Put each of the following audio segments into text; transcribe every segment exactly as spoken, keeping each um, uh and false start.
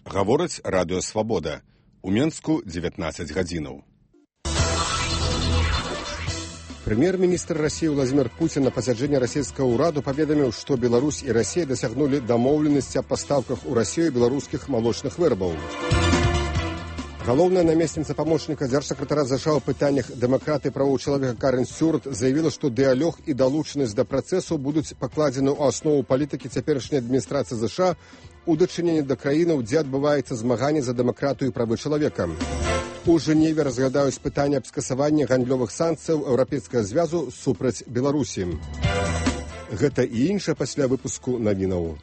Гаворыць радыё «Свабода». У Менску дзевятнаццаць гадзінаў. Прэм'ер-міністр России Владимир Путин на пасяджэнні расійскага ўраду паведаміў, што Беларусь і Россия дасягнулі дамоўленасці аб пастаўках у Россию беларускіх малочных вырабаў. Галоўная намесніца памочніка дзяржсакратара США ў пытаннях дэмакраты і правоў чалавека Карен Стюарт заявіла, што дыялог і далучанасць да працэсу будуць пакладзены ў аснову палітыкі цяперашняй адміністрацыі США у дачыненні да краінаў, дзе адбываецца змаганне за дэмакратыю і правы чалавека. У Жэневе разглядаюць пытанне аб скасаванні гандлёвых санкцыяў Еўрапейскага звязу супраць Беларусі. Гэта і іншае пасля выпуску навінаў.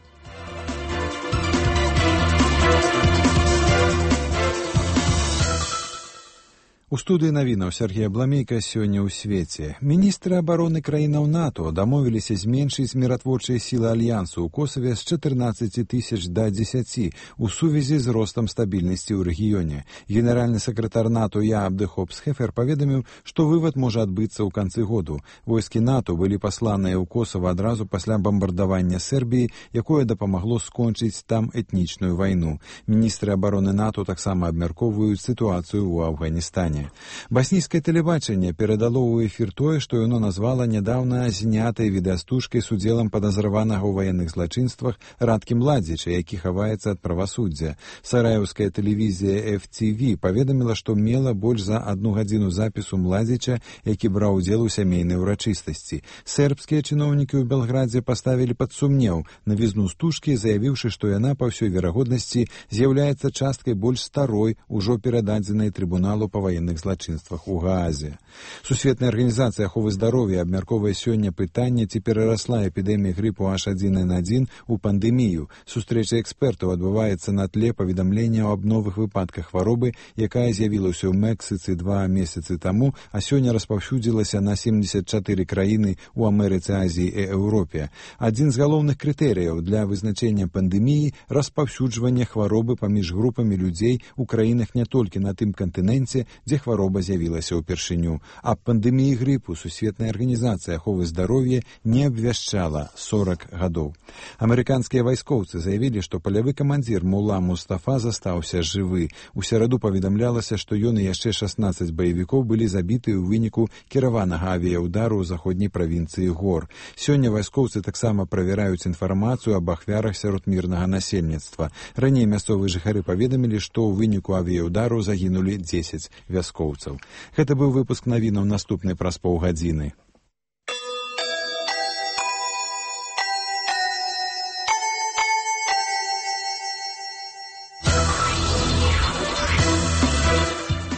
У студыі навінаў Сергея Бламейка сёння ў свеце. Міністры абароны краінаў НАТО дамовіліся зменшыць міратворчыя сілы альянсу ў Косаве з чатырнаццаці тысяч да дзесяці у сувязі з ростам стабільнасці ў рэгіёне. Генеральны сакратар НАТО Яап де Хоп-Схефер паведаміў, што вывад можа адбыцца ў канцы году. Войскі НАТО былі пасланыя ў Косава адразу пасля бамбардавання Сербіі, якое дапамагло скончыць там этнічную вайну. Міністры абароны НАТО таксама абмяркоўваюць сітуацыю ў Афганістане. Баснійскае тэлебачанне перадало ў эфір тое, што яно назвала нядаўна знятай відэастужкай з удзелам падазраванага ў ваенных злачынствах Радкі Младзіча, які хаваецца ад правасуддзя. Сараеўская тэлевізія эф ці ви паведаміла, што мела больш за адну гадзіну запісу Младзіча, які браў удзел у сямейнай урачыстасці. Сербскія чыноўнікі ў Белградзе паставілі пад сумнеў навізну стужкі, заявіўшы, што яна па ўсёй верагоднасці з'яўляецца часткай больш старой, ужо перададзенай трыбуналу па ваенных злачынствах у Гаазе. Сусветная арганізацыя аховы здароўя абмяркоўвае сёння пытанне, ці перарасла эпідэмія грыпу аш адзін эн адзін у пандэмію. Сустрэча экспертаў адбываецца на тле паведамленняў аб новых выпадках хваробы, якая з'явілася ў Мексіцы два месяцы таму, а сёння распаўсюдзілася на семдзесят чатыры краіны ў Амерыцы, Азіі і Еўропе. Адзін з галоўных крытэрыяў для вызначэння пандэміі – распаўсюджванне хваробы паміж групамі людзей у краінах не толькі на тым кантыненце, дзе хвароба з'явілася ўпершыню. Аб пандэміі грыпу Сусветная арганізацыя аховы здароўя не абвяшчала сорак гадоў. Амерыканскія вайскоўцы заявілі, што палявы камандзір Мула Мустафа застаўся жывы. У сераду паведамлялася, што ён і яшчэ шаснаццаць баевікоў былі забіты ў выніку кіраванага авіяўдару ў заходняй правінцыі Гор. Сёння вайскоўцы таксама правяраюць інфармацыю аб ахвярах сярод мірнага насельніцтва. Раней мясцовыя жыхары паведамілі, што ў выніку авіяўдару загінулі дзесяць вяскоўцаў. Гэта быў выпуск навінаў, наступны праз паўгадзіны.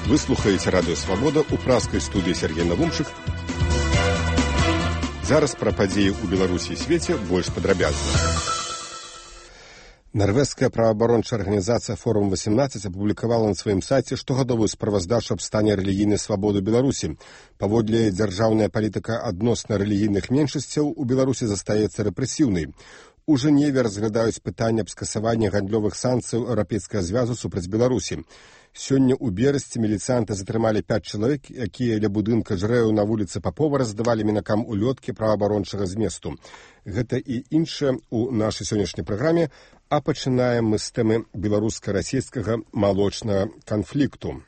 Вы слухаеце радыё «Свабода» у пражскай студыі Сергей Навумчык. Зараз пра падзеі ў Беларусі і свеце больш падрабязна. Нарвежская праваабарончая арганізацыя «Форум восемнадцать» апублікавала на сваім сайце штогадовую справаздачу аб стане рэлігійнай свабоды ў Беларусі. Паводле дзяржаўная палітыка адносна рэлігійных меншасцяў у Беларусі застаецца рэпрэсіўнай. У Жэневе разглядаюць пытанне аб скасаванні гандлёвых санкцыяў Еўрапейскага звязу супраць Беларусі. Сёння ў берасці міліцыянты затрымалі пяць чалавек, якія ля будынка жрэў на вуліцы Папова раздавалі мінакам улёткі праваабарончага зместу. Гэта і іншае ў нашай сённяшняй праграме, а пачынаем мы з тэмы беларуска-расійскага малочнага канфлікту.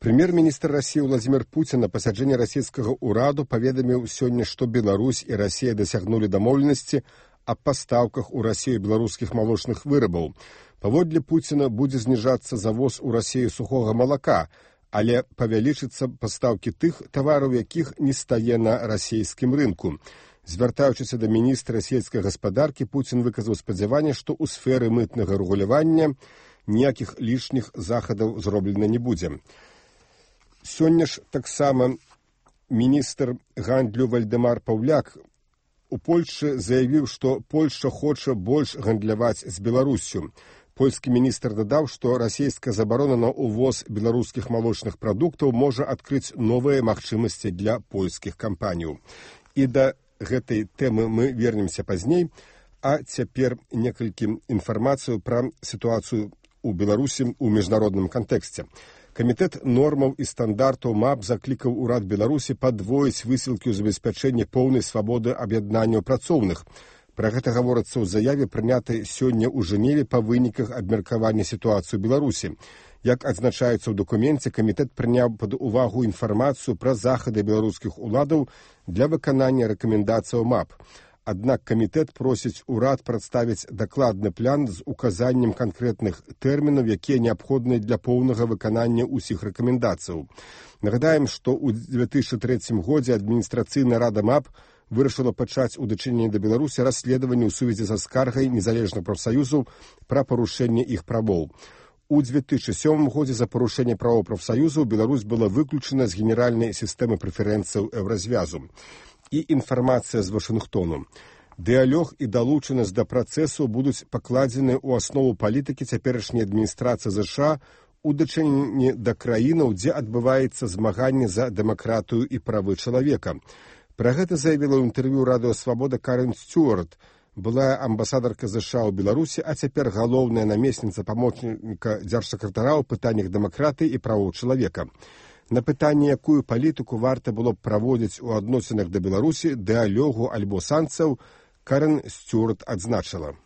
Прэм'ер-міністр России Владимир Путин на пасяджэнні расійскага ўраду паведаміў сёння, што Беларусь і Россия дасягнулі дамоўленасці аб пастаўках у Россию беларускіх малочных вырабаў. Паводле Пуціна будзе зніжацца завоз у Россию сухога малака, але павялічыцца пастаўкі тых тавараў, якіх не стае на расійскім рынку. Звяртаючыся да міністра сельскай гаспадаркі, Пуцін выказаў спадзяванне, што ў сферы мытнага рэгулявання ніякіх лішніх захадаў зроблена не будзе. Сёння ж таксама міністр гандлю Вальдэмар Паўляк у Польшчы заявіў, што Польшча хоча больш гандляваць з Беларуссю. Польскі міністр дадаў, што расійская забарона на ўвоз беларускіх малочных прадуктаў можа адкрыць новыя магчымасці для польскіх кампаніяў. І да гэтай тэмы мы вернемся пазней, а цяпер некалькі інфармацыю пра сітуацыю ў Беларусі ў міжнародным кантэксце. Камітэт нормаў і стандартаў МАП заклікаў урад Беларусі падвоіць высілкі ў забеспячэнні поўнай свабоды аб'яднанняў працоўных. Пра гэта гаворыцца ў заяве, прынятай сёння ў Жэневе па выніках абмеркавання сітуацыі ў Беларусі. Як адзначаецца ў дакуменце, камітэт прыняў пад увагу інфармацыю пра захады беларускіх уладаў для выканання рэкамендацыяў МАП. Аднак камітэт просіць урад прадставіць дакладны план з указаннем канкрэтных тэрмінаў, якія неабходныя для поўнага выканання ўсіх рэкамендацыяў. Нагадаем, што ў две тысячы трэцім годзе адміністрацыйная рада МАП вырашыла пачаць у дачыненні да Беларусі расследаванне ў сувязі са скаргай незалежных прафсаюзаў пра парушэнне іх правоў. У две тысячи сёмым годзе за парушэнне правоў прафсаюзаў Беларусь была выключана з генеральнай сістэмы прэферэнцыяў Еўразвязу. І інфармацыя з Вашынгтону. Дыялог і далучанасць да працэсу будуць пакладзены ў аснову палітыкі цяперашняй адміністрацыі ЗША у дачыненні да краінаў, дзе адбываецца змаганне за дэмакратыю і правы чалавека. Пра гэта заявіла ў інтэрв'ю радыё «Свабода» Карен Стюарт, былая амбасадарка ЗША ў Беларусі, а цяпер галоўная намесніца памочніка дзяржсакратара ў пытаннях дэмакратыі і правоў чалавека. На пытанне, якую палітыку варта было б праводзіць у адносінах да Беларусі, дыялогу альбо санкцыяў, Карен Стюарт адзначыла.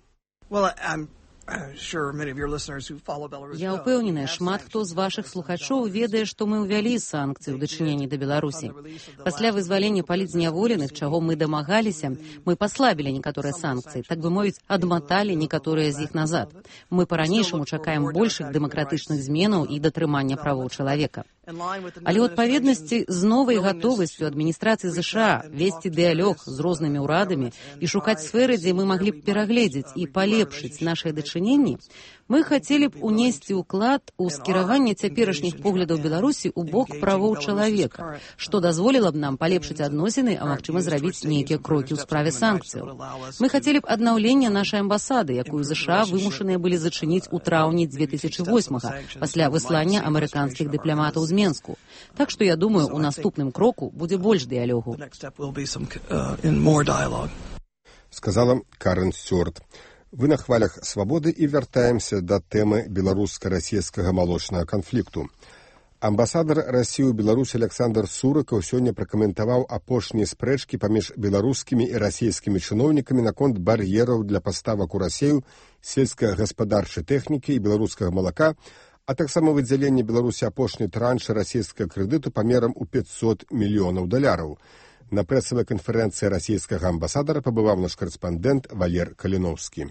Я ўпэўненая, шмат хто з вашых слухачоў ведае, што мы ўвялі санкцыі ў дачыненні да Беларусі. Пасля вызвалення палітзняволеных, чаго мы дамагаліся, мы паслабілі некаторыя санкцыі, так бы мовіць, адматалі некаторыя з іх назад. Мы па-ранейшаму чакаем большых дэмакратычных зменаў і датрымання правоў чалавека. Але ў адпаведнасці з новай гатовасцю адміністрацыі ЗША весці дыялог з рознымі ўрадамі і шукаць сферы, дзе мы маглі б перагледзець і палепшыць нашыя дачыненні, мы хацелі б унесці ўклад у скіраванне цяперашніх поглядаў Беларусі ў бок правоў чалавека, што дазволіла б нам палепшыць адносіны, а магчыма зрабіць нейкія крокі ў справе санкцыяў. Мы хацелі б аднаўлення нашай амбасады, якую ЗША вымушаныя былі зачыніць у траўні две тысячи восьмага пасля выслання амерыканскіх дыпламатаў з Менску. Так што я думаю, у наступным кроку будзе больш дыялогу. Сказала Карен Стюарт. Вы на хвалях свабоды і вяртаемся да тэмы беларуска-расійскага малочнага канфлікту. Амбасадар Расіі ў Беларусі Александр Сурыкаў сёння пракаментаваў апошнія спрэчкі паміж беларускімі і расійскімі чыноўнікамі наконт бар'ераў для паставак у Расію сельскагаспадарчай тэхнікі і беларускага малака, а таксама выдзяленне Беларусі апошняй траншы расійскага крэдыту памерам у пятьсот мільёнаў даляраў. На прэсавай канферэнцыі расійскага амбасадара пабываў наш карэспандэнт Валер Каліноўскі.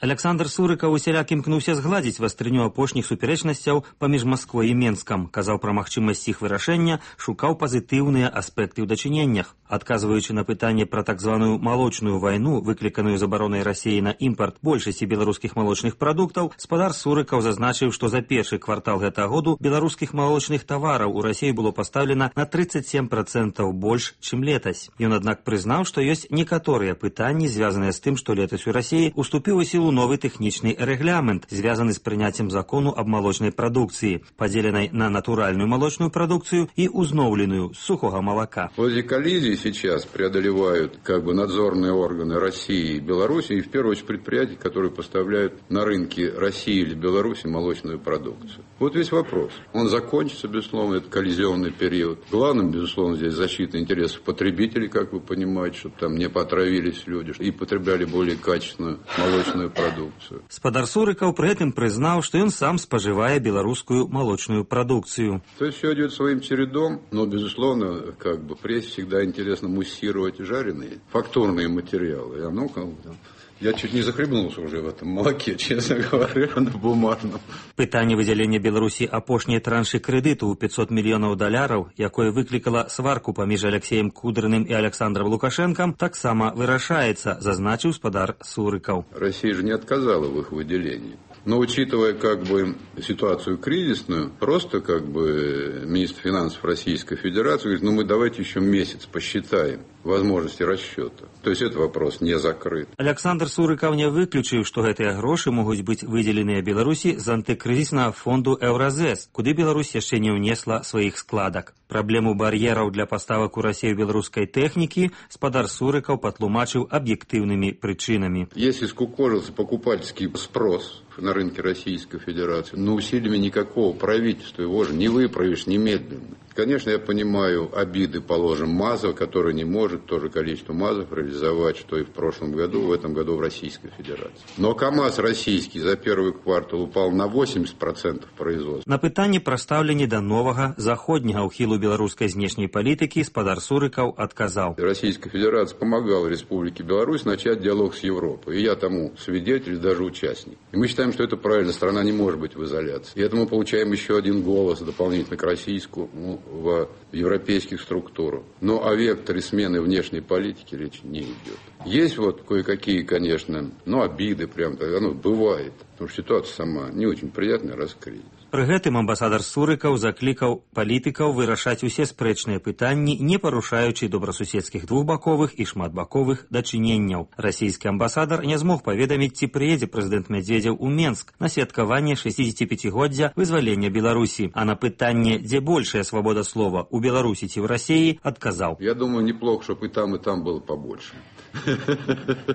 Александр Сурыкаў усяляк імкнуўся згладзіць вастрыню апошніх супярэчнасцяў паміж Масквой і Менскам, казаў пра магчымасць іх вырашэння, шукаў пазітыўныя аспекты ў дачыненнях. Адказваючы на пытанне пра так званую малочную вайну, выкліканую забаронай Расіі на імпарт большасці беларускіх малочных прадуктаў, спадар Сурыкаў зазначыў, што за першы квартал гэтага году беларускіх малочных тавараў у Расіі было пастаўлена на тридцать семь процентаў больш, чым летась. Ён, аднак, прызнаў, што ёсць некаторыя пытанні, звязаныя з тым, што летась у Расіі уступіў у сілу новы тэхнічны рэгламент, звязаны з прыняццем закону аб малочнай прадукцыі, падзеленай на натуральную молочную продукцию и узнавленную с сухого молока. Вот эти коллизии сейчас преодолевают как бы надзорные органы России и Беларуси, и в первую очередь предприятия, которые поставляют на рынки России или Беларуси молочную продукцию. Вот весь вопрос. Он закончится, безусловно, этот коллизионный период. Главным, безусловно, здесь защита интересов потребителей, как вы понимаете, чтобы там не потравились люди и потребляли более качественную молочную продукцию. Спадар Сурыкаў при этом признал, что он сам споживает белорусскую молочную продукцию. То есть все идет своим чередом, но, безусловно, как бы прессе всегда интересно муссировать жареные фактурные материалы. И оно как бы там... Я чуть не захлебнулся уже в этом молоке, честно говоря, на бумажном. Пытанне выдзялення Беларусі апошняй траншы крэдыту ў пятьсот мільёнаў даляраў, якое выклікала сварку паміж Алексеем Кудрыным і Александром Лукашенком, таксама вырашаецца, зазначыў спадар Сурыкаў. Россия же не отказала в их выделении. Но учитывая как бы ситуацию кризисную, просто как бы министр финансов Российской Федерации говорит, ну мы давайте еще месяц посчитаем. возможности расчета. То есть этот вопрос не закрыт. Александр Сурыкаў не выключыў, што гэтыя грошы могуць быць выдзеленыя Беларусі з антыкрызіснага фонду «Еўразэс», куды Беларусь яшчэ не ўнесла сваіх складак. Праблему бар'ераў для паставак у Расію беларускай тэхнікі спадар Сурыкаў патлумачыў аб'ектыўнымі прычынамі. Если скукожился покупательский спрос на рынке Российской Федерации, но усилиями никакого правительства его же не выправишь немедленно. Конечно, я понимаю обиды, положим, МАЗов, который не может то же количество МАЗов реализовать, что и в прошлом году, в этом году в Российской Федерации. Но КАМАЗ российский за первый квартал упал на восемьдесят процентов производства. На пытанне пра стаўленне да новага заходняга ўхілу беларускай знешняй палітыкі спадар Сурыкаў адказаў. Российская Федерация помогала Республике Беларусь начать диалог с Европой. И я тому свидетель, даже участник. И мы считаем, что это правильно. Страна не может быть в изоляции. И это мы получаем еще один голос дополнительно к российскому в европейских структурах. Но о векторе смены внешней политики речи не идет. Есть вот кое-какие, конечно, ну, обиды, прям, оно бывает. Потому что ситуация сама не очень приятная, раз кризис. Пры гэтым амбасадар Сурыкаў заклікаў палітыкаў вырашаць усе спрэчныя пытанні, не парушаючы добрасуседскіх двухбаковых і шматбаковых дачыненняў. Расійскі амбасадар не змог паведаміць, ці прыедзе прэзідэнт Мядзведзеў у Менск на святкаванне шэсцідзесяціпяцігоддзя вызвалення Беларусі. А на пытанне, дзе большая свабода слова, у Беларусі ці ў Расіі, адказаў. Я думаю, неплохо, чтобы и там, и там было побольше.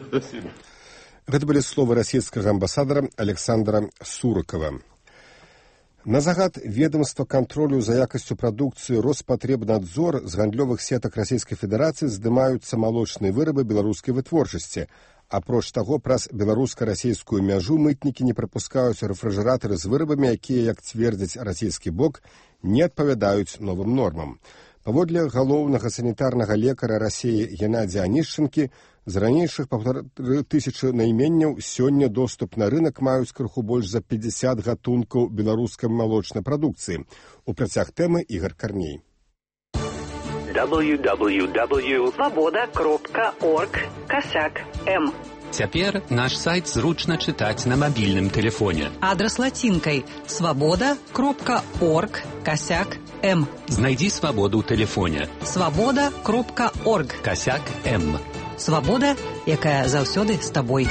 Спасибо. Гэта былі словы расійскага амбасадара Александра Сурыкава. На загад ведомства контролю за якасцю прадукцыі Роспотребнадзор з гандлёвых сетак Расійскай Федэрацыі здымаюцца малочныя вырабы беларускай вытворчасці. Апроч таго, праз беларуска-расійскую мяжу мытнікі не прапускаюць рэфрыжэратары з вырабамі, якія, як цвердзіць расійскі бок, не адпавядаюць новым нормам. Паводле галоўнага санітарнага лекара Расіі Геннадзія Анішчынкі, з ранейшых паўтары тысячы найменняў сёння доступ на рынок маюць крыху больш за пятьдесят гатункаў беларускай малочнай прадукцыі. У працяг тэмы Ігор Карней. дабл ю дабл ю дабл ю точка свабода кропка орг касяк эм. Цяпер наш сайт зручна чытаць на мабільным тэлефоне. Адрас лацінкай свабода кропка орг касяк эм. Знайдзі свабоду ў тэлефоне. свабода кропка орг касяк эм. Свабода, якая заўсёды з табой.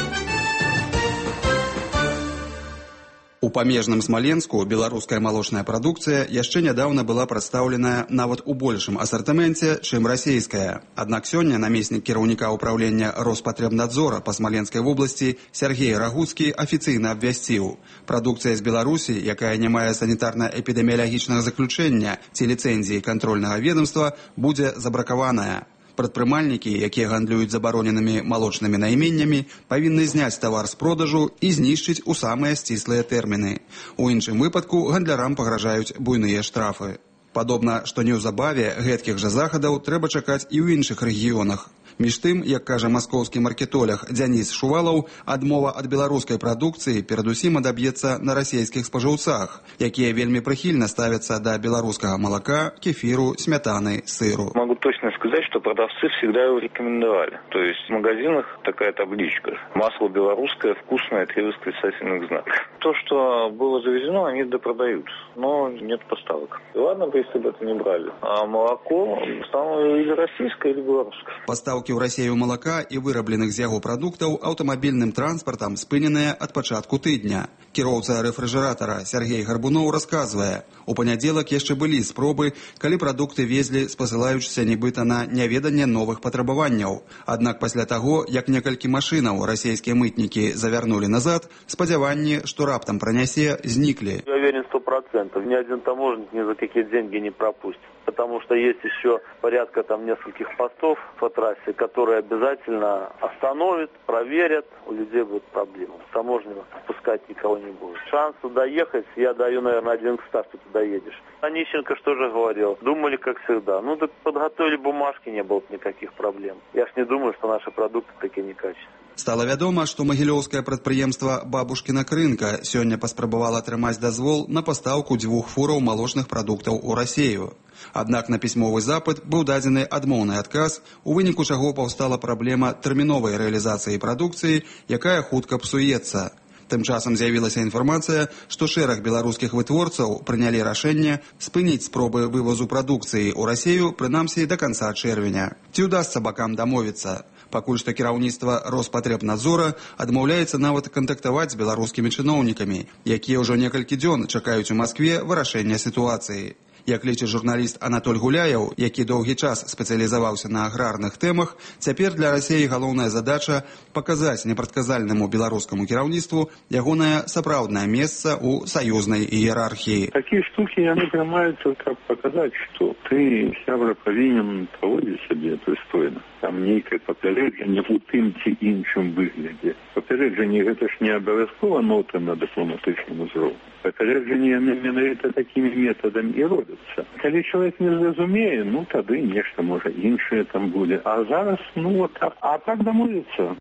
У памежным Смаленску беларуская малочная прадукцыя яшчэ нядаўна была прадстаўленая нават у большым асартыменце, чым расійская. Аднак сёння намеснік кіраўніка ўпраўлення Роспотребнадзора па Смаленскай вобласці Сергей Рагуцкі афіцыйна абвясціў. Прадукцыя з Беларусі, якая не мае санітарна-эпідэміялагічнага заключэння ці ліцэнзіі кантрольнага ведомства, будзе забракаваная. Прадпрымальнікі, якія гандлююць забароненымі малочнымі найменнямі, павінны зняць тавар з продажу і знішчыць у самыя сціслыя тэрміны. У іншым выпадку гандлярам пагражаюць буйныя штрафы. Падобна, што неўзабаве гэткіх жа захадаў трэба чакаць і ў іншых рэгіёнах. Між тым, як кажа маскоўскі маркетолог Дзяніс Шувалаў, адмова ад беларускай прадукцыі перадусім адаб'ецца на расійскіх спажыўцах, якія вельмі прыхільна ставяцца да беларускага малака, кефіру, смятаны, сыру. Могу точно сказать, что продавцы всегда его рекомендовали. То есть в магазинах такая табличка: масло белорусское, вкусное, три восклицательных знака. То, что было завезено, они допродают, но нет поставок. И ладно бы, если бы это не брали. А молоко стало или российское, или белорусское. Поставки ў Расію малака і вырабленых з яго прадуктаў аўтамабільным транспартам спыненыя ад пачатку тыдня. Кіроўца рэфрыжэратара Сергей Гарбуноў расказвае, у панядзелак яшчэ былі спробы, калі прадукты везлі, спасылаючыся нібыта на няведанне новых патрабаванняў. Аднак пасля таго, як некалькі машынаў расійскія мытнікі завярнулі назад, спадзяванні, што раптам пранясе, зніклі. Я уверен сто процентов. Ни один таможенник ни за какие деньги не пропустит. Потому что есть еще порядка там нескольких постов по трассе, которые обязательно остановят, проверят. У людей будут проблемы. Таможня пускать никого не будет. Шансу доехать я даю, наверное, один к ста, что ты доедешь. Онищенко что же говорил? Думали, как всегда. Ну, так подготовили бумажки, не было никаких проблем. Я ж не думаю, что наши продукты такие некачественные. Стала вядома, што магілёўскае прадпрыемства «Бабушкіна крынка» сёння паспрабавала атрымаць дазвол на пастаўку дзвюх фураў малочных прадуктаў у Расію. Аднак на пісьмовы запыт быў дадзены адмоўны адказ, у выніку чаго паўстала праблема тэрміновай рэалізацыі прадукцыі, якая хутка псуецца. Тым часам з'явілася інфармацыя, што шэраг беларускіх вытворцаў прынялі рашэнне спыніць спробы вывозу прадукцыі ў Расію, прынамсі да канца чэрвеня. Ці ўдасца бакам дамовіцца? Пакуль што кіраўніцтва Роспатребнадзора адмаўляецца нават кантактаваць з беларускімі чыноўнікамі, якія ўжо некалькі дзён чакаюць у Маскве вырашэння сітуацыі. Як лічыць журналіст Анатоль Гуляяў, які доўгі час спецыялізаваўся на аграрных тэмах, цяпер для Расіі галоўная задача паказаць непрадказальнаму беларускаму кіраўніцтву ягонае сапраўднае месца ў саюзнай іерархіі. Такія штукі яны прымаюцца, каб паказаць, што ты, сябра, павінен паводзіць сябе прыстойна. Там нейкае папярэджанне ў тым ці іншым выглядзе. Папярэджанне гэта ж не абавязкова нота на дыпламатычным узроўні. Папярэджанне яны менавіта такімі метадамі і робяцца. Калі чалавек не зразумее, ну тады нешта можа іншае там будзе. А зараз, ну вот, а, а так дамовіцца.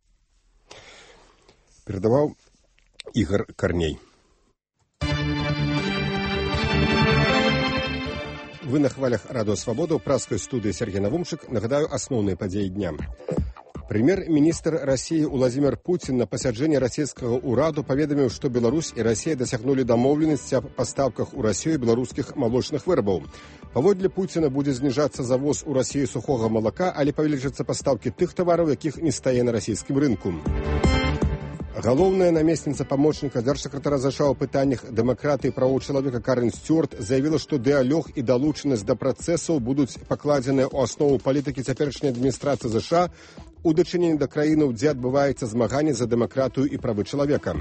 Перадаваў Ігор Карней. Вы на хвалях Радио Свобода, у праской студии Сергей Навумчик. Нагадаю, основные подеи дня. Премьер-министр России Владимир Путин на пасяджэнні расійскага ўраду паведаміў, што Беларусь і Расія дасягнулі дамоўленасці аб пастаўках у Расію беларускіх малочных вырабаў. Паводле Пуціна будзе зніжацца завоз у Расію сухога малака, але павялічацца пастаўкі тых тавараў, якіх не стае на расійскім рынку. Галоўная намесніца памочніка дзяржсакратара ЗША ў пытаннях дэмакратыі і правоў чалавека Карен Стюарт заявіла, што дыялог і далучанасць да працэсаў будуць пакладзеныя ў аснову палітыкі цяперашняй адміністрацыі ЗША у дачыненні да краінаў, дзе адбываецца змаганне за дэмакратыю і правы чалавека.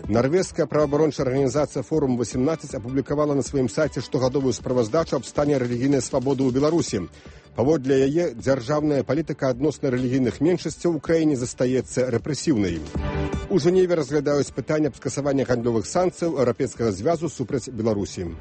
Нарвежская праваабарончая арганізацыя Форум восемнадцать апублікавала на сваім сайце штогадовую справаздачу аб стане рэлігійнай свабоды ў Беларусі. Паводле яе, дзяржаўная палітыка адносна рэлігійных меншасцяў у краіне застаецца рэпрэсіўнай. У Жэневе разглядаюць пытанне аб скасаванні гандлёвых санкцыяў Еўрапейскага звязу супраць Беларусі.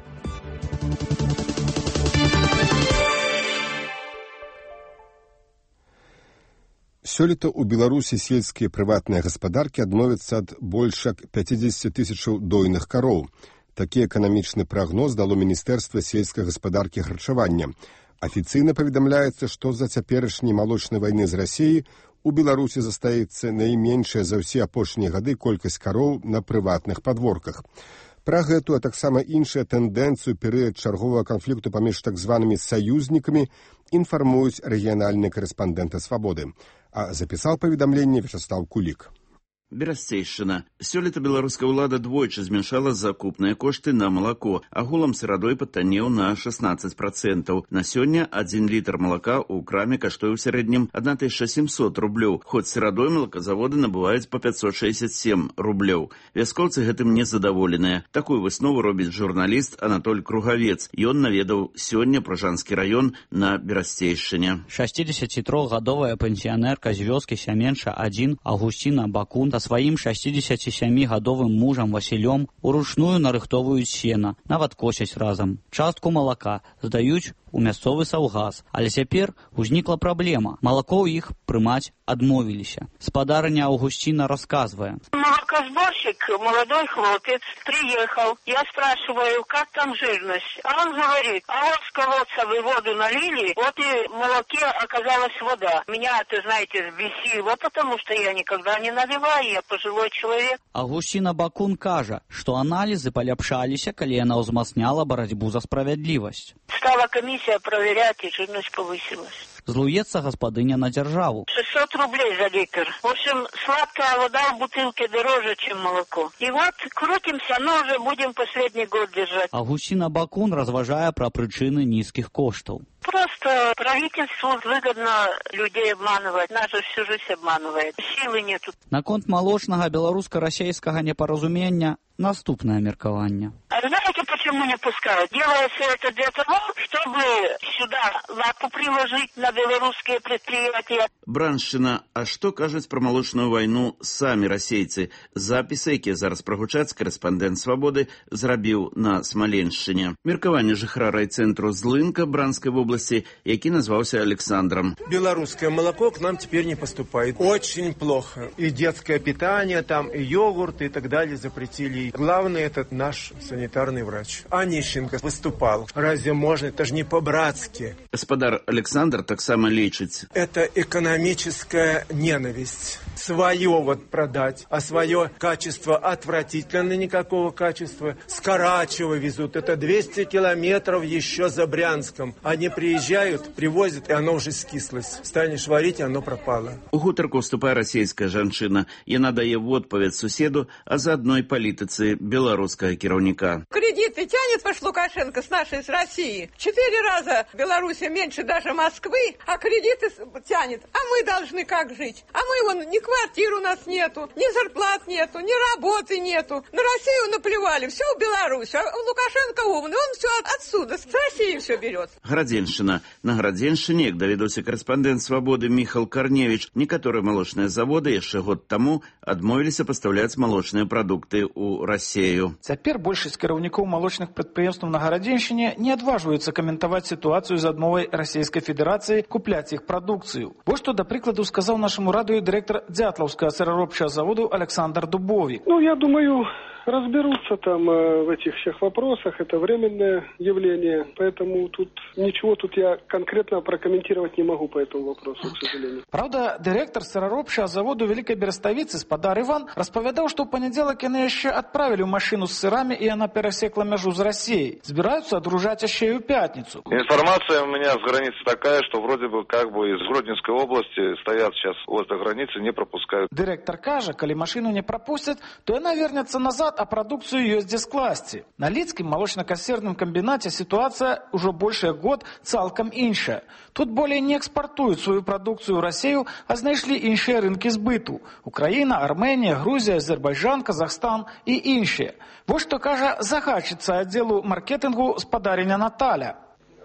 Сёлета ў Беларусі сельскія прыватныя гаспадаркі адмовяцца ад больш як пяцьдзесят тысячаў дойных кароў. Такі эканамічны прагноз дало Міністэрства сельскай гаспадаркі і харчавання. Афіцыйна паведамляецца, што з-за цяперашняй малочнай вайны з Расіяй у Беларусі застаецца найменшая за ўсе апошнія гады колькасць кароў на прыватных падворках. Пра гэту, а таксама іншыя тэндэнцыю перыяд чарговага канфлікту паміж так званымі саюзнікамі інфармуюць рэгіянальныя карэспандэнты «Свабоды». А запісаў паведамленне Вячаслав Кулік. Берасцейшчына. Сёлета беларуская ўлада двойчы змяншала закупныя кошты на малако. Агулам сырадой патаннеў на шестнадцать процентаў. На сёння адзін літр малака ў краме каштуе ў сярэднім одна тысяча семьсот рублёў, хоць сырадой малаказаводы набываюць па пятьсот шестьдесят семь рублёў. Вяскоўцы гэтым незадаволеныя. Такую выснову робіць журналіст Анатоль Кругавец. Ён наведаў сёння Пражанскі раён на Берасцейшчыне. шестидесятитрохгадовая пенсіянерка з вёскі Сяменша адзін Аўгусціна Бакун сваім шестидесятисемігадовым мужам Васілём уручную нарыхтоваюць сена, нават косяць разам. Частку малака здаюць у мясцовы саўгас, але цяпер узнікла праблема. Малако ў іх прымаць адмовіліся. Спадарыня Аўгусціна расказвае. Молокосборщик, молодой хлопец, приехал. Я спрашиваю, как там жирность? А он говорит, а вот с колодца вы воду налили, вот и в молоке оказалась вода. Меня, ты знаете, взбесило, потому что я никогда не наливаю, я пожилой человек. Аўгусціна Бакун кажа, што аналізы паляпшаліся, калі яна ўзмацняла барацьбу за справядлівасць. Стала комиссия проверять, и жирность повысилась. Злуецца гаспадыня на дзяржаву. шестьсот рублей за литр. В общем, сладкая вода в бутылке дороже, чем молоко. И вот крутимся, но уже будем последний год держать. Аўгусціна Бакун разважае пра прычыны нізкіх коштаў. Просто правительству выгодно людей обманывать. Нас же всю жизнь обманывает. Силы нету. Наконт малочнага беларуска-расейскага непаразумення наступнае меркаванне. А знаете, почему не пускают? Делается это для того, чтобы сюда лапу приложить на белорусские предприятия. Браншчына, а што кажуць пра малочную вайну самі расейцы? Запісы, якія зараз прагучаць, карэспандэнт «Свабоды» зрабіў на Смаленшчыне. Меркаванне жыхара райцэнтру Злынка Бранскай вобласці, які назваўся Александром. Белорусское молоко к нам теперь не поступает. Очень плохо. И детское питание там, и йогурт, и так далее запретили. Главное, это наш санитарный врач. Ильич Онищенко выступал. Разве можно? Это же не по-братски. Господар Александр так само лечит. Это экономическая ненависть. Свое вот продать, а свое качество отвратительно, никакого качества. С Карачева везут. Это двести километров еще за Брянском. Они приезжают, привозят, и оно уже скислось. Станешь варить, и оно пропало. У гутарку вступае расійская жанчына. Яна дае в отповедь суседу о заодной политицы белорусского кіраўніка. Кредиты тянет ваш Лукашенко с нашей, с России. Четыре раза Беларусь меньше даже Москвы, а кредиты тянет. А мы должны как жить? А мы вон, ни квартир у нас нету, ни зарплат нету, ни работы нету. На Россию наплевали, все в Беларусь. А Лукашенко умный, он все от, отсюда, с России все берет. Градзеншчына. На Градзеншчыне, як даведаўся корэспандэнт «Свободы» Міхал Карневіч, некаторыя малочныя заводы яшчэ год таму адмовіліся пастаўляць малочныя прадукты ў Расію. Цяпер большасць кіраўнікоў малочных прадпрыемстваў на Гарадзеншчыне не адважваюцца каментаваць сітуацыю з адмовай Расійскай Федэрацыі купляць іх прадукцыю. Вось што, да прыкладу, сказаў нашаму радыё дырэктар Дзятлаўскага сыраробчага заводу Александр Дубовик. Ну, я думаю, разберутся там э, в этих всех вопросах. Это временное явление, поэтому тут ничего тут я конкретно прокомментировать не могу по этому вопросу, к сожалению. Правда, директор сыраробчага заводу Великой Береставицы спадар Иван распавядаў, што ў панядзелак яны яшчэ адправілі ў машину з сырамі, і яна перасекла мяжу з Россией. Збіраюцца адружаць яшчэ і ў пятницу. Информация у меня с границы такая, что вроде бы как бы из Гродненской области стоят сейчас возле границы, не пропускают. Директор кажа, калі машину не пропустят, то яна вернется назад, а продукцию ёсць дзе скласці. На Лідскім молочно-касерным комбинате ситуация уже больше год цалкам іншая. Тут более не экспортуют свою продукцию в Россию, а знайшлі іншыя рынкі збыту. Украина, Армения, Грузия, Азербайджан, Казахстан и іншыя. Вот что кажа загадчица отделу маркетингу спадарыня Наталя.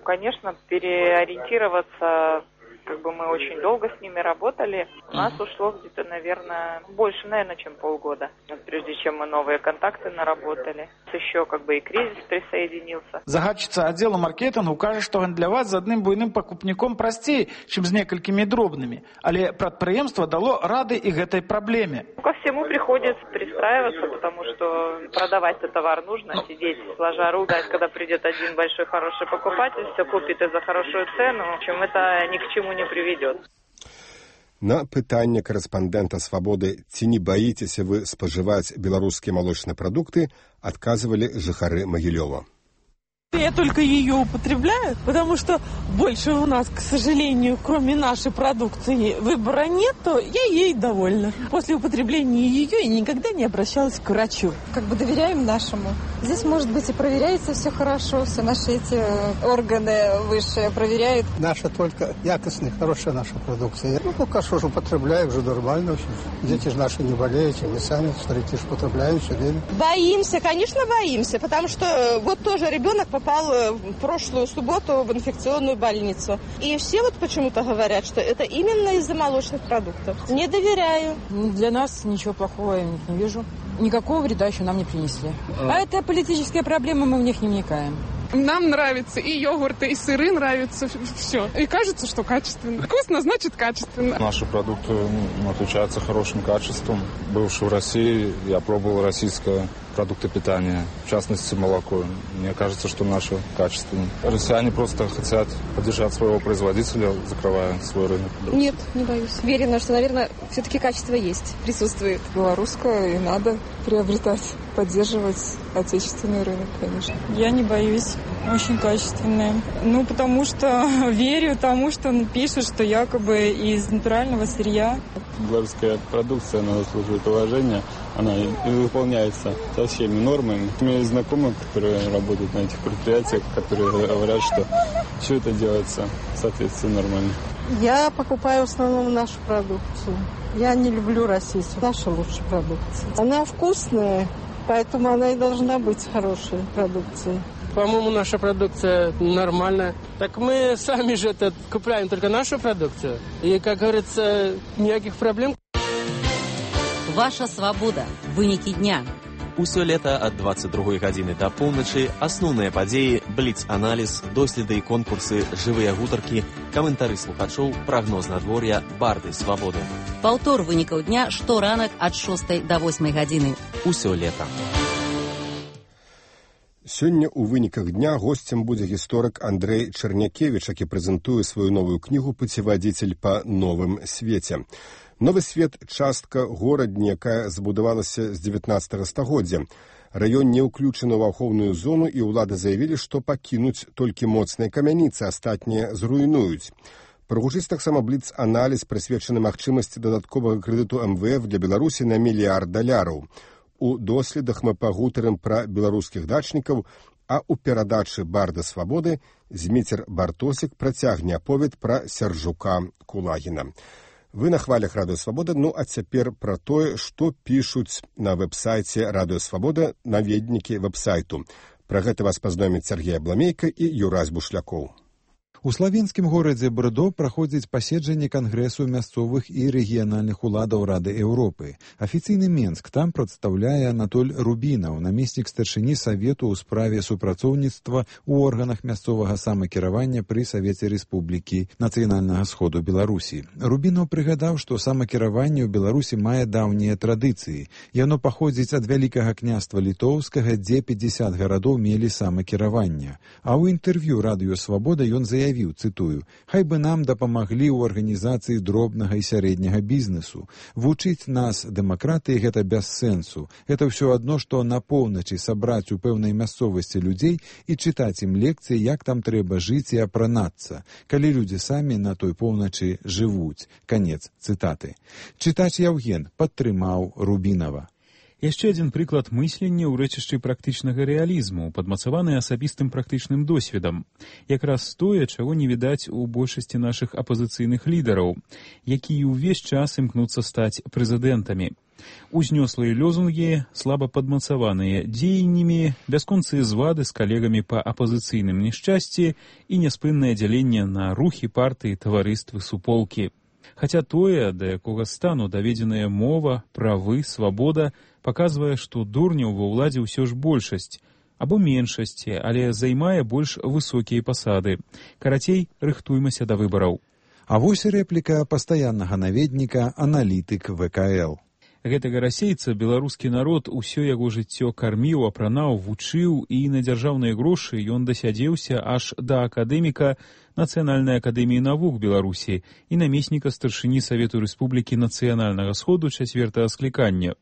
Конечно, переориентироваться, как бы мы очень долго с ними работали. У нас ушло где-то, наверное, больше, наверное, чем полгода, прежде чем мы новые контакты наработали. Еще как бы и кризис присоединился. Загадчица отдела маркетингу кажа, што гандляваць з адным буйным пакупніком прасцей, чым з некалькімі дробнымі. Але прадпрыемства дало рады і гэтай праблеме. Ко всему приходится пристраиваться, потому что продавать-то товар нужно, сидеть сложа руки, когда придет один большой хороший покупатель, все купит и за хорошую цену, в общем, это ни к чему не приведет. На пытанне корэспандэнта «Свободы», ці не боитесь вы споживать белорусские молочные продукты, отказывали жыхары Могилёва. Я только ее употребляю, потому что больше у нас, к сожалению, кроме нашей продукции, выбора нет, то я ей довольна. После употребления ее я никогда не обращалась к врачу. Как бы доверяем нашему. Здесь, может быть, и проверяется все хорошо, все наши эти органы высшие проверяют. Наша только якостная, хорошая наша продукция. Ну, пока что же употребляю, уже нормально. Дети же наши не болеют, и мы сами, старики, же употребляем все время. Боимся, конечно, боимся, потому что вот тоже ребенок попал в прошлую субботу в инфекционную больницу. И все вот почему-то говорят, что это именно из-за молочных продуктов. Не доверяю. Для нас ничего плохого я не вижу. Никакого вреда еще нам не принесли. А это политические проблемы, мы в них не вникаем. Нам нравится и йогурты, и сыры нравятся, все. И кажется, что качественно. Вкусно, значит качественно. Наши продукты ну, отличаются хорошим качеством. Бывший в России, я пробовал российское продукты питания, в частности молоко. Мне кажется, что наше качественное. Россияне просто хотят поддержать своего производителя, закрывая свой рынок. Нет, не боюсь. Уверена, что, наверное, все-таки качество есть, присутствует. Белорусское и надо приобретать, поддерживать отечественный рынок, конечно. Я не боюсь. Очень качественные. Ну, потому что верю тому, что он пишет, что якобы из натурального сырья. Белорусская продукция, она заслуживает уважения, она и выполняется со всеми нормами. У меня есть знакомые, которые работают на этих предприятиях, которые говорят, что все это делается в соответствии нормально. Я покупаю в основном нашу продукцию. Я не люблю российскую. Наша лучшая продукция. Она вкусная, поэтому она и должна быть хорошей продукцией. По-моему, наша продукция нормальная. Так мы сами же это купляем только нашу продукцию. И, как говорится, никаких проблем. Ваша свобода. Вынікі дня. Усё лета ад дваццаць другой гадзіны да поўначы асноўныя падзеі, бліц-аналіз, доследы і конкурсы, жывыя гутаркі, каментары слухачоў, прагноз надвор'я, барды свабоды. Паўтор вынікаў дня шторанак ад шостай да восьмай гадзіны. Усё лета. Сёння ў выніках дня госцем будзе гісторык Андрэй Чарнякевіч, які прэзентуе сваю новую кнігу «Пуцеводитель па новым свеце». Новы свет – частка горадні, якая забудавалася з дзевятнаццатага стагоддзя. Раён не ўключаны ў ахоўную зону, і ўлады заявілі, што пакінуць толькі моцныя камяніцы, астатнія зруйнуюць. Прагучыць таксама бліц-аналіз, прысвечаны магчымасці дадатковага крэдыту эм вэ эф для Беларусі на мільярд даляраў. У доследах мы пагутарым пра беларускіх дачнікаў, а ў перадачы «Барда свабоды» Зміцер Бартосік працягне аповед пра Сяржука Кулагіна. Вы на хвалях Радыё Свабода, ну а цяпер пра тое, што пішуць на вэб-сайце Радыё Свабода наведнікі вэб-сайту. Пра гэта вас пазнаёміць Сергей Абламейка і Юрась Бушлякоў. У славенскім горадзе Брдо праходзіць паседжанне Кангрэсу мясцовых і рэгіянальных уладаў Рады Еўропы. Афіцыйны Менск там прадстаўляе Анатоль Рубінаў, намеснік старшыні Савету ў справе супрацоўніцтва ў органах мясцовага самакіравання пры Савеце Рэспублікі Нацыянальнага Сходу Беларусі. Рубінаў прыгадаў, што самакіраванне ў Беларусі мае даўнія традыцыі. Яно паходзіць ад Вялікага княства Літоўскага, дзе пятьдесят гарадоў мелі самакіраванне. А ў інтэрв'ю Радыё Свабода ён заявіў, цытую, «Хай бы нам дапамаглі ў арганізацыі дробнага і сярэдняга бізнесу. Вучыць нас дэмакратыі гэта без сэнсу. Гэта ўсё адно, што на поўначы сабраць у пэўнай мясцовасці людзей і чытаць ім лекцыі, як там трэба жыць і апранацца, калі людзі самі на той поўначы жывуць». Канец цытаты. Чытач Яўген падтрымаў Рубінава. Яшчэ адзін прыклад мыслення ў рэчышчы практычнага рэалізму, падмацаваны асабістым практычным досведам. Якраз тое, чаго не відаць у большасці нашых апазіцыйных лідараў, якія ўвесь час імкнуцца стаць прэзідэнтамі. Узнёслыя лёзунгі, слаба падмацаваныя дзеяннямі, бясконцыя звады з калегамі па апазіцыйным няшчасці і няспыннае дзяленне на рухі, партыі, таварыствы, суполкі. Хаця тое, да якога стану даведзеная мова, правы, свабода, паказвае, што дурняў ва ўладзе ўсё ж большасць, або меншасці, але займае больш высокія пасады. Карацей, рыхтуймася да выбараў. А вось рэпліка пастаяннага наведніка, аналітык вэ ка эл. Гэтага расейца беларускі народ усё яго жыццё карміў, апранаў, вучыў, і на дзяржаўныя грошы ён дасядзеўся аж да акадэміка Нацыянальнай акадэміі навук Беларусі і намесніка старшыні Савету Рэспублікі Нацыянальнага Сходу чацвёртага склікання.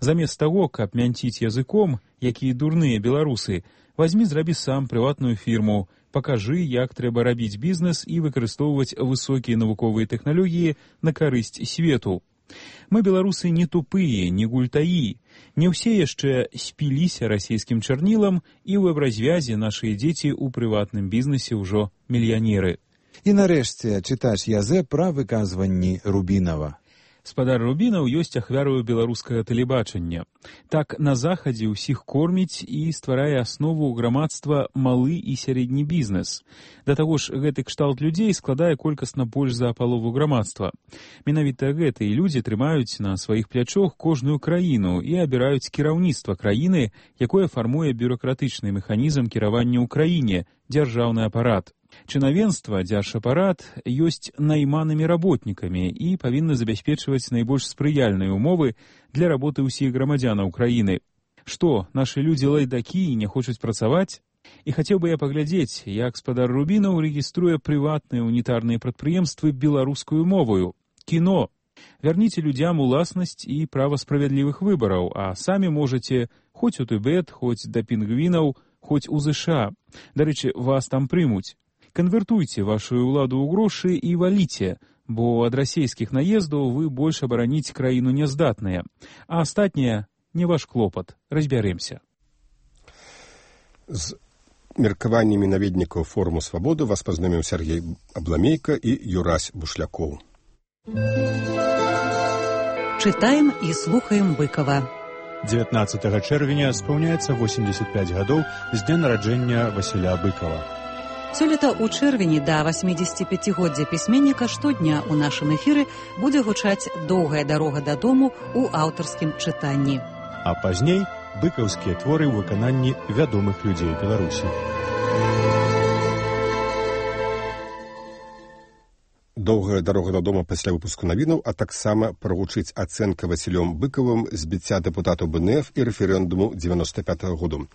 Замест таго, каб мянціць языком, якія дурныя беларусы, вазьмі зрабі сам прыватную фірму, пакажы, як трэба рабіць бізнес і выкарыстоўваць высокія навуковыя тэхналогіі на карысць свету. Мы, беларусы, не тупыя, не гультаі. Не ўсе яшчэ спіліся расійскім чарнілам, і ў вэб-развязе нашыя дзеці ў прыватным бізнесе ўжо мільянеры. І нарэшце чытач Язэ пра выказванні Рубінава. Спадар Рубінаў ёсць ахвярою беларускага тэлебачання. Так на захадзе ўсіх корміць і стварае аснову грамадства малы і сярэдні бізнес. Да таго ж, гэты кшталт людзей складае колькасна больш за палову грамадства. Менавіта гэтыя людзі трымаюць на сваіх плячох кожную краіну і абіраюць кіраўніцтва краіны, якое фармуе бюракратычны механізм кіравання ў краіне, дзяржаўны апарат. Чынавенства, дзяржапарат ёсць найманымі работнікамі і павінны забяспечваць найбольш спрыяльныя ўмовы для работы ўсіх грамадзянаў краіны. Што, нашы людзі лайдакі і не хочуць працаваць? І хацеў бы я паглядзець, як спадар Рубінаў рэгіструе прыватныя унітарныя прадпрыемствы беларускую моваю. Кіно. Вярніце людзям уласнасць і права справядлівых выбараў, а самі можаце хоць у Тыбет, хоць да пінгвінаў, хоць у ЗША. Дарэчы, вас там прымуць. Канвертуйце вашу ўладу ў грошы і валіце, бо ад расійскіх наездаў вы больш абараніць краіну няздатныя, а астатняе не ваш клопат. Разбярэмся. З меркаваннямі наведнікаў форуму «Свабоды» вас пазнаёміў Сергей Абламейка і Юрась Бушлякоў. Чытаем і слухаем Быкова. дзевятнаццатага чэрвеня спаўняецца восемьдесят пять гадоў з дня нараджэння Васіля Быкова. Сёлета ў чэрвені да восьмідзесяціпяцігоддзя пісьменніка штодня ў нашым эфіры будзе гучаць «Доўгая дарога дадому» ў аўтарскім чытанні. А пазней быкаўскія творы ў выкананні вядомых людзей Беларусі. Доўгая дарога дадому пасля выпуску навінаў, а таксама прагучыць ацэнка Васілём Быкавым збіцця дэпутатаў бэ эн эф і рэферэндуму дзевяноста пятага году.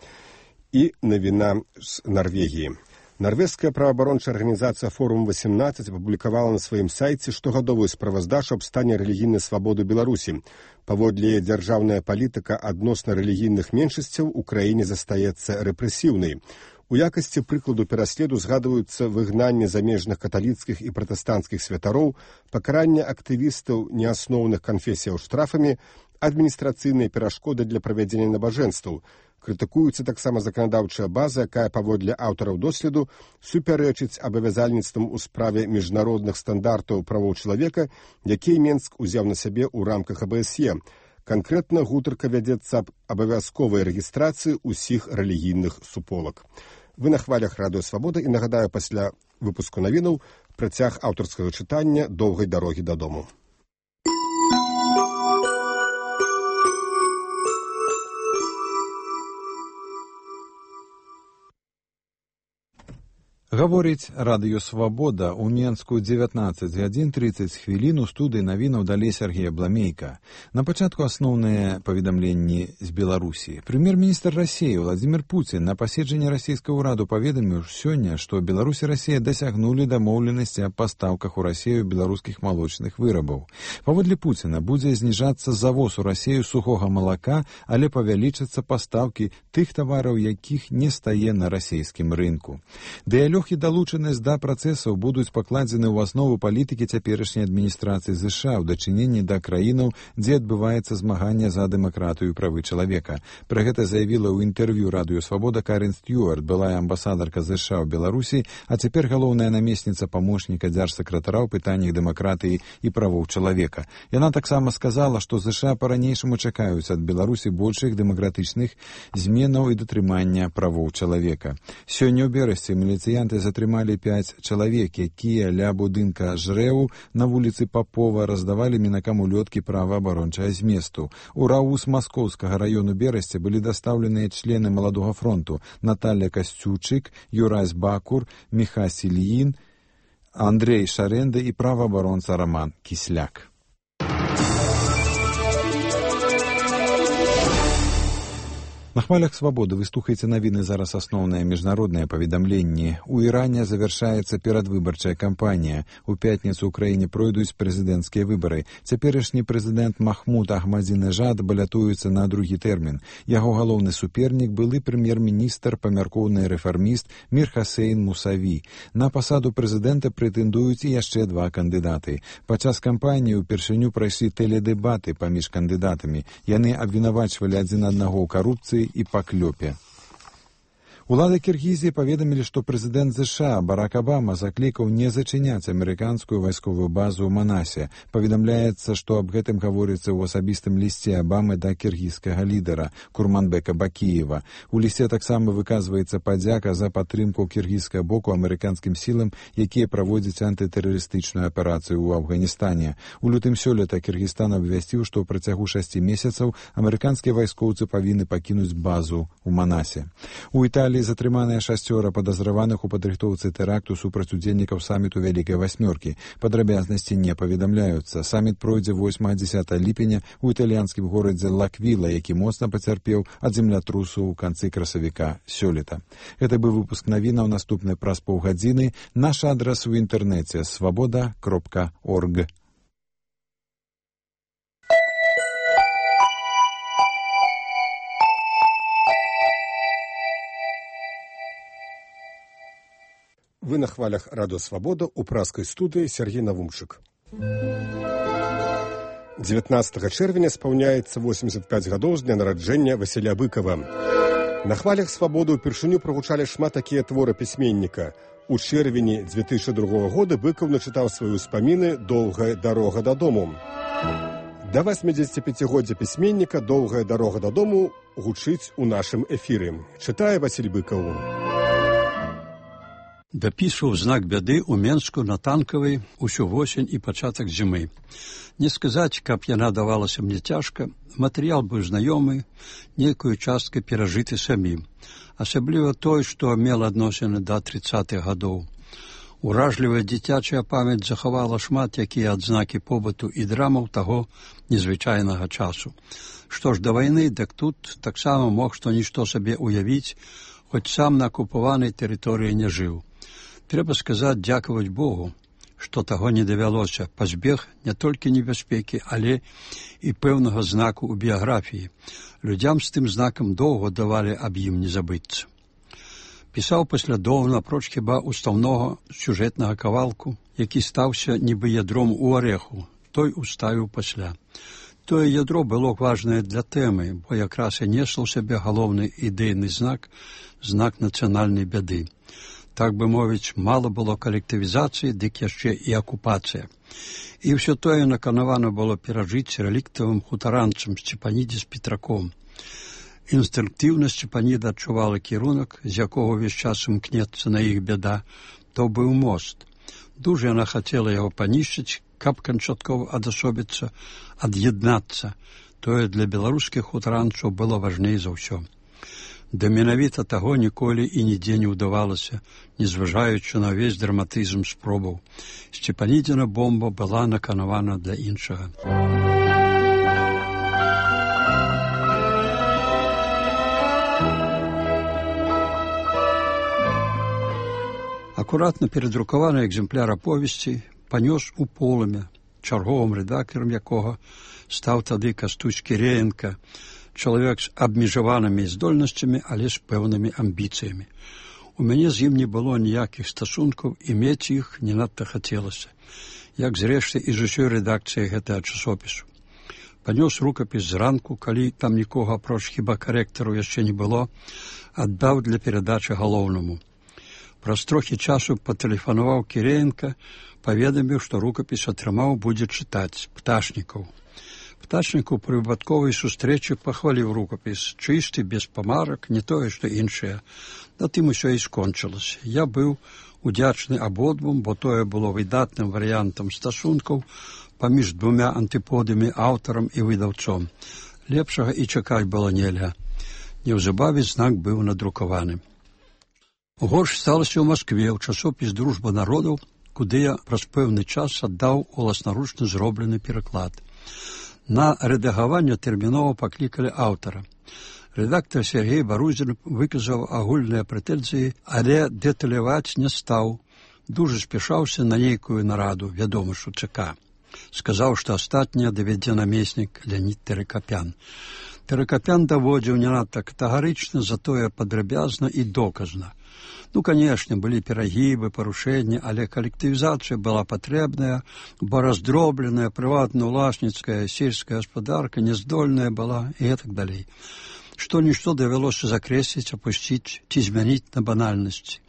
І навіна з Нарвегіі. Нарвежская праваабарончая арганізацыя «Форум восемнадцать» апублікавала на сваім сайце штогадовую справаздачу аб стане рэлігійнай свабоды Беларусі. Паводле яе, дзяржаўная палітыка адносна рэлігійных меншасцяў у краіне застаецца рэпрэсіўнай. У якасці прыкладу пераследу згадваюцца выгнанне замежных каталіцкіх і пратэстанцкіх святароў, пакаранне актывістаў неасноўных канфесіяў штрафамі, адміністрацыйныя перашкоды для правядзення набажэнстваў. Крытыкуецца таксама заканадаўчая база, якая, паводле аўтараў доследу, супярэчыць абавязальніцтвам у справе міжнародных стандартаў правоў чалавека, якія Менск узяў на сябе ў рамках а бэ эс е. Канкрэтна гутарка вядзецца аб абавязковай рэгістрацыі ўсіх рэлігійных суполак. Вы на хвалях Радыё Свабода, і нагадаю, пасля выпуску навінаў працяг аўтарскага чытання «Доўгай дарогі дадому». Гаворыць Радыё Свабода. У Менску дзевятнаццаць гадзін трыццаць хвілін. У студыі навінаў далей Сергей Абламейка. На пачатку асноўныя паведамленні з Беларусі. Прэм'ер-міністр Расіі Владзімір Пуцін на паседжанні расійскага ўраду паведаміў сёння, што Беларусь і Расія дасягнулі дамоўленасці аб пастаўках у Расію беларускіх малочных вырабаў. Паводле Пуціна будзе зніжацца завоз у Расію сухога малака, але павялічацца пастаўкі тых тавараў, якіх не стае на расійскім рынку. Дыялог і далучанасць да працэсаў будуць пакладзены ў аснову палітыкі цяперашняй адміністрацыі ЗША ў дачыненні да краінаў, дзе адбываецца змаганне за дэмакратыю і правы чалавека. Пра гэта заявіла ў інтэрв'ю Радыё Свабода Карен Стюарт, былая амбасадарка ЗША ў Беларусі, а цяпер галоўная намесніца памочніка дзяржсакратара ў пытаннях дэмакратыі і правоў чалавека. Яна таксама сказала, што ЗША па-ранейшаму чакаюць ад Беларусі большых дэмакратычных зменаў і датрымання правоў чалавека. Сёння ў берасці міліцыянты затрымалі пяць чалавек, якія ля будынка жрэў на вуліцы Папова раздавалі мінакам улёткі праваабарончага зместу. У РАУС Маскоўскага раёну Берасці былі дастаўленыя члены Маладога фронту Наталья Касцючык, Юрась Бакур, Міха Сільін, Андрей Шарэнда і праваабаронца Роман Кісляк. На хвалях Свабоды вы слухаеце навіны. Зараз асноўныя міжнародныя паведамленні. У Іране завяршаецца перадвыбарчая кампанія. У пятніцу ў краіне пройдуць прэзідэнцкія выбары. Цяперашні прэзідэнт Махмуд Ахмадзінежад балятуецца на другі тэрмін. Яго галоўны супернік былы прэм'ер-міністр, памяркоўны рэфарміст Мір Хасейн Мусаві. На пасаду прэзідэнта прэтэндуюць і яшчэ два кандыдаты. Падчас кампаніі ўпершыню прайшлі тэледэбаты паміж кандыдатамі. Яны абвінавачвалі адзін аднаго ў карупцыі і паклёпе. Улады Кіргізіі паведамілі, што прэзідэнт ЗША Барак Абама заклікаў не зачыняць амерыканскую вайсковую базу ў Манасе. Паведамляецца, што аб гэтым гаворыцца ў асабістым лісце Абамы да кіргізскага лідара Курманбека Бакіева. У лісце таксама выказваецца падзяка за падтрымку кіргізскага боку амерыканскім сілам, якія праводзяць антытэрарыстычную аперацыю ў Афганістане. У лютым сёлета Кіргізстан абвясціў, што ў працягу шасці месяцаў амерыканскія вайскоўцы павінны пакінуць базу ў Манасе. У Італіі затрыманыя шасцёра падазраваных у падрыхтоўцы тэракту супраць удзельнікаў саміту Вялікай Васьмёркі. Падрабязнасці не паведамляюцца. Саміт пройдзе восьмага-дзясятага ліпеня ў італьянскім горадзе Лаквіла, які моцна пацярпеў ад землятрусу ў канцы красавіка сёлета. Гэта быў выпуск навінаў. Наступны праз паўгадзіны. Наш адрас у інтэрнэце свабода кропка орг. Вы на хвалях Радыё Свабода, у праскай студыі Сергей Навумчык. дзевятнаццатага чэрвеня спаўняецца восемьдесят пять гадоў з дня нараджэння Васіля Быкава. На хвалях Свабоды ўпершыню прагучалі шмат такія творы пісьменніка. У чэрвені две тысячи другога года Быкаў начытаў свае ўспаміны «Доўгая дарога дадому». Да восьмидзесятипяцігоддзя пісьменніка «Доўгая дарога дадому» гучыць у нашым эфіры. Чытае Васіль Быкаў. Дапісваў знак бяды ў Менску на Танкавай усю восень і пачатак зімы. Не сказаць, каб яна давалася мне цяжка, матэрыял быў знаёмы, нейкую частку перажыты самім. Асабліва той, што мела адносіны да трыццатых гадоў. Уражлівая дзіцячая памяць захавала шмат якія адзнакі побыту і драмаў таго незвычайнага часу. Што ж да вайны, дык тут таксама мог што нішто сабе ўявіць, хоць сам на акупаванай тэрыторыі не жыў. Трэба сказаць, дзякаваць Богу, што таго не давялося, пазбег не толькі небяспекі, але і пэўнага знаку ў біяграфіі. Людзям з тым знакам доўга давалі аб ім не забыцца. Пісаў паслядоўна, апроч хіба устаўнога сюжэтнага кавалку, які стаўся нібы ядром у арэху, той уставіў пасля. Тое ядро было важнае для тэмы, бо якраз і несла ў сябе галоўны ідэйны знак, знак нацыянальнай бяды. Так бы мовіць, мала было калектывізацыі, дык яшчэ і акупацыя. І ўсё тое наканавана было перажыць рэліктавым хутаранцам Сцепаніде з Петраком. Інстынктыўна Сцепаніда адчувала кірунак, з якога ўвесь час імкнецца на іх бяда, то быў мост. Дужа яна хацела яго панішчыць, каб канчаткова адасобіцца, ад'яднацца. Тое для беларускіх хутаранцаў было важней за ўсё. Да менавіта таго ніколі і нідзе не ўдавалася, незважаючы на ўвесь драматызм спробаў. Сцепанідзіна бомба была наканавана для іншага. Акуратна перадрукаваны экземпляр аповесці панёс у полымя, чарговым рэдактарам якога стаў тады Кастусь Кіреенка, чалавек з абмежаванымі здольнасцямі, але з пэўнымі амбіцыямі. У мяне з ім не было ніякіх стасункаў, і мець іх не надта хацелася, як зрэшты і з усёй рэдакцыяй гэтага часопісу. Панёс рукапіс зранку, калі там нікога апроч хіба карэктару яшчэ не было, аддаў для перадачы галоўнаму. Праз трохі часу патэлефанаваў Кіреенка, паведаміў, што рукапіс атрымаў будзе чытаць Пташнікаў. Пташнікаў пры выпадковай сустрэчы пахваліў рукапіс, чысты, без памарак, не тое, што іншае. На тым усё і скончылася. Я быў удзячны абодвум, бо тое было выдатным варыянтам стасункаў паміж двумя антыподамі, аўтарам і выдаўцом. Лепшага і чакаць было нельга. Неўзабаве знак быў надрукаваны. Горш сталася ў Маскве, ў часопіс «Дружба народаў», куды я праз пэўны час аддаў уласнаручна зроблены пераклад. На рэдагаванне тэрмінова паклікалі аўтара. Рэдактар Сергей Барузін выказаў агульныя прэтэнзіі, але дэталяваць не стаў. Дужа спяшаўся на нейкую нараду, вядома, што ЦК. Сказаў, што астатняе давядзе намеснік Леонід Тэракапян. Тэракапян даводзіў не надта катэгарычна, затое падрабязна і доказна. Ну, канешне, былі перагібы, парушэнні, але калектывізацыя была патрэбная, бо раздробленая, прыватна-уласніцкая, сельская гаспадарка няздольная была і гэтак далей. Што-нішто давялося закрэсліць, апусціць ці змяніць на банальнасці.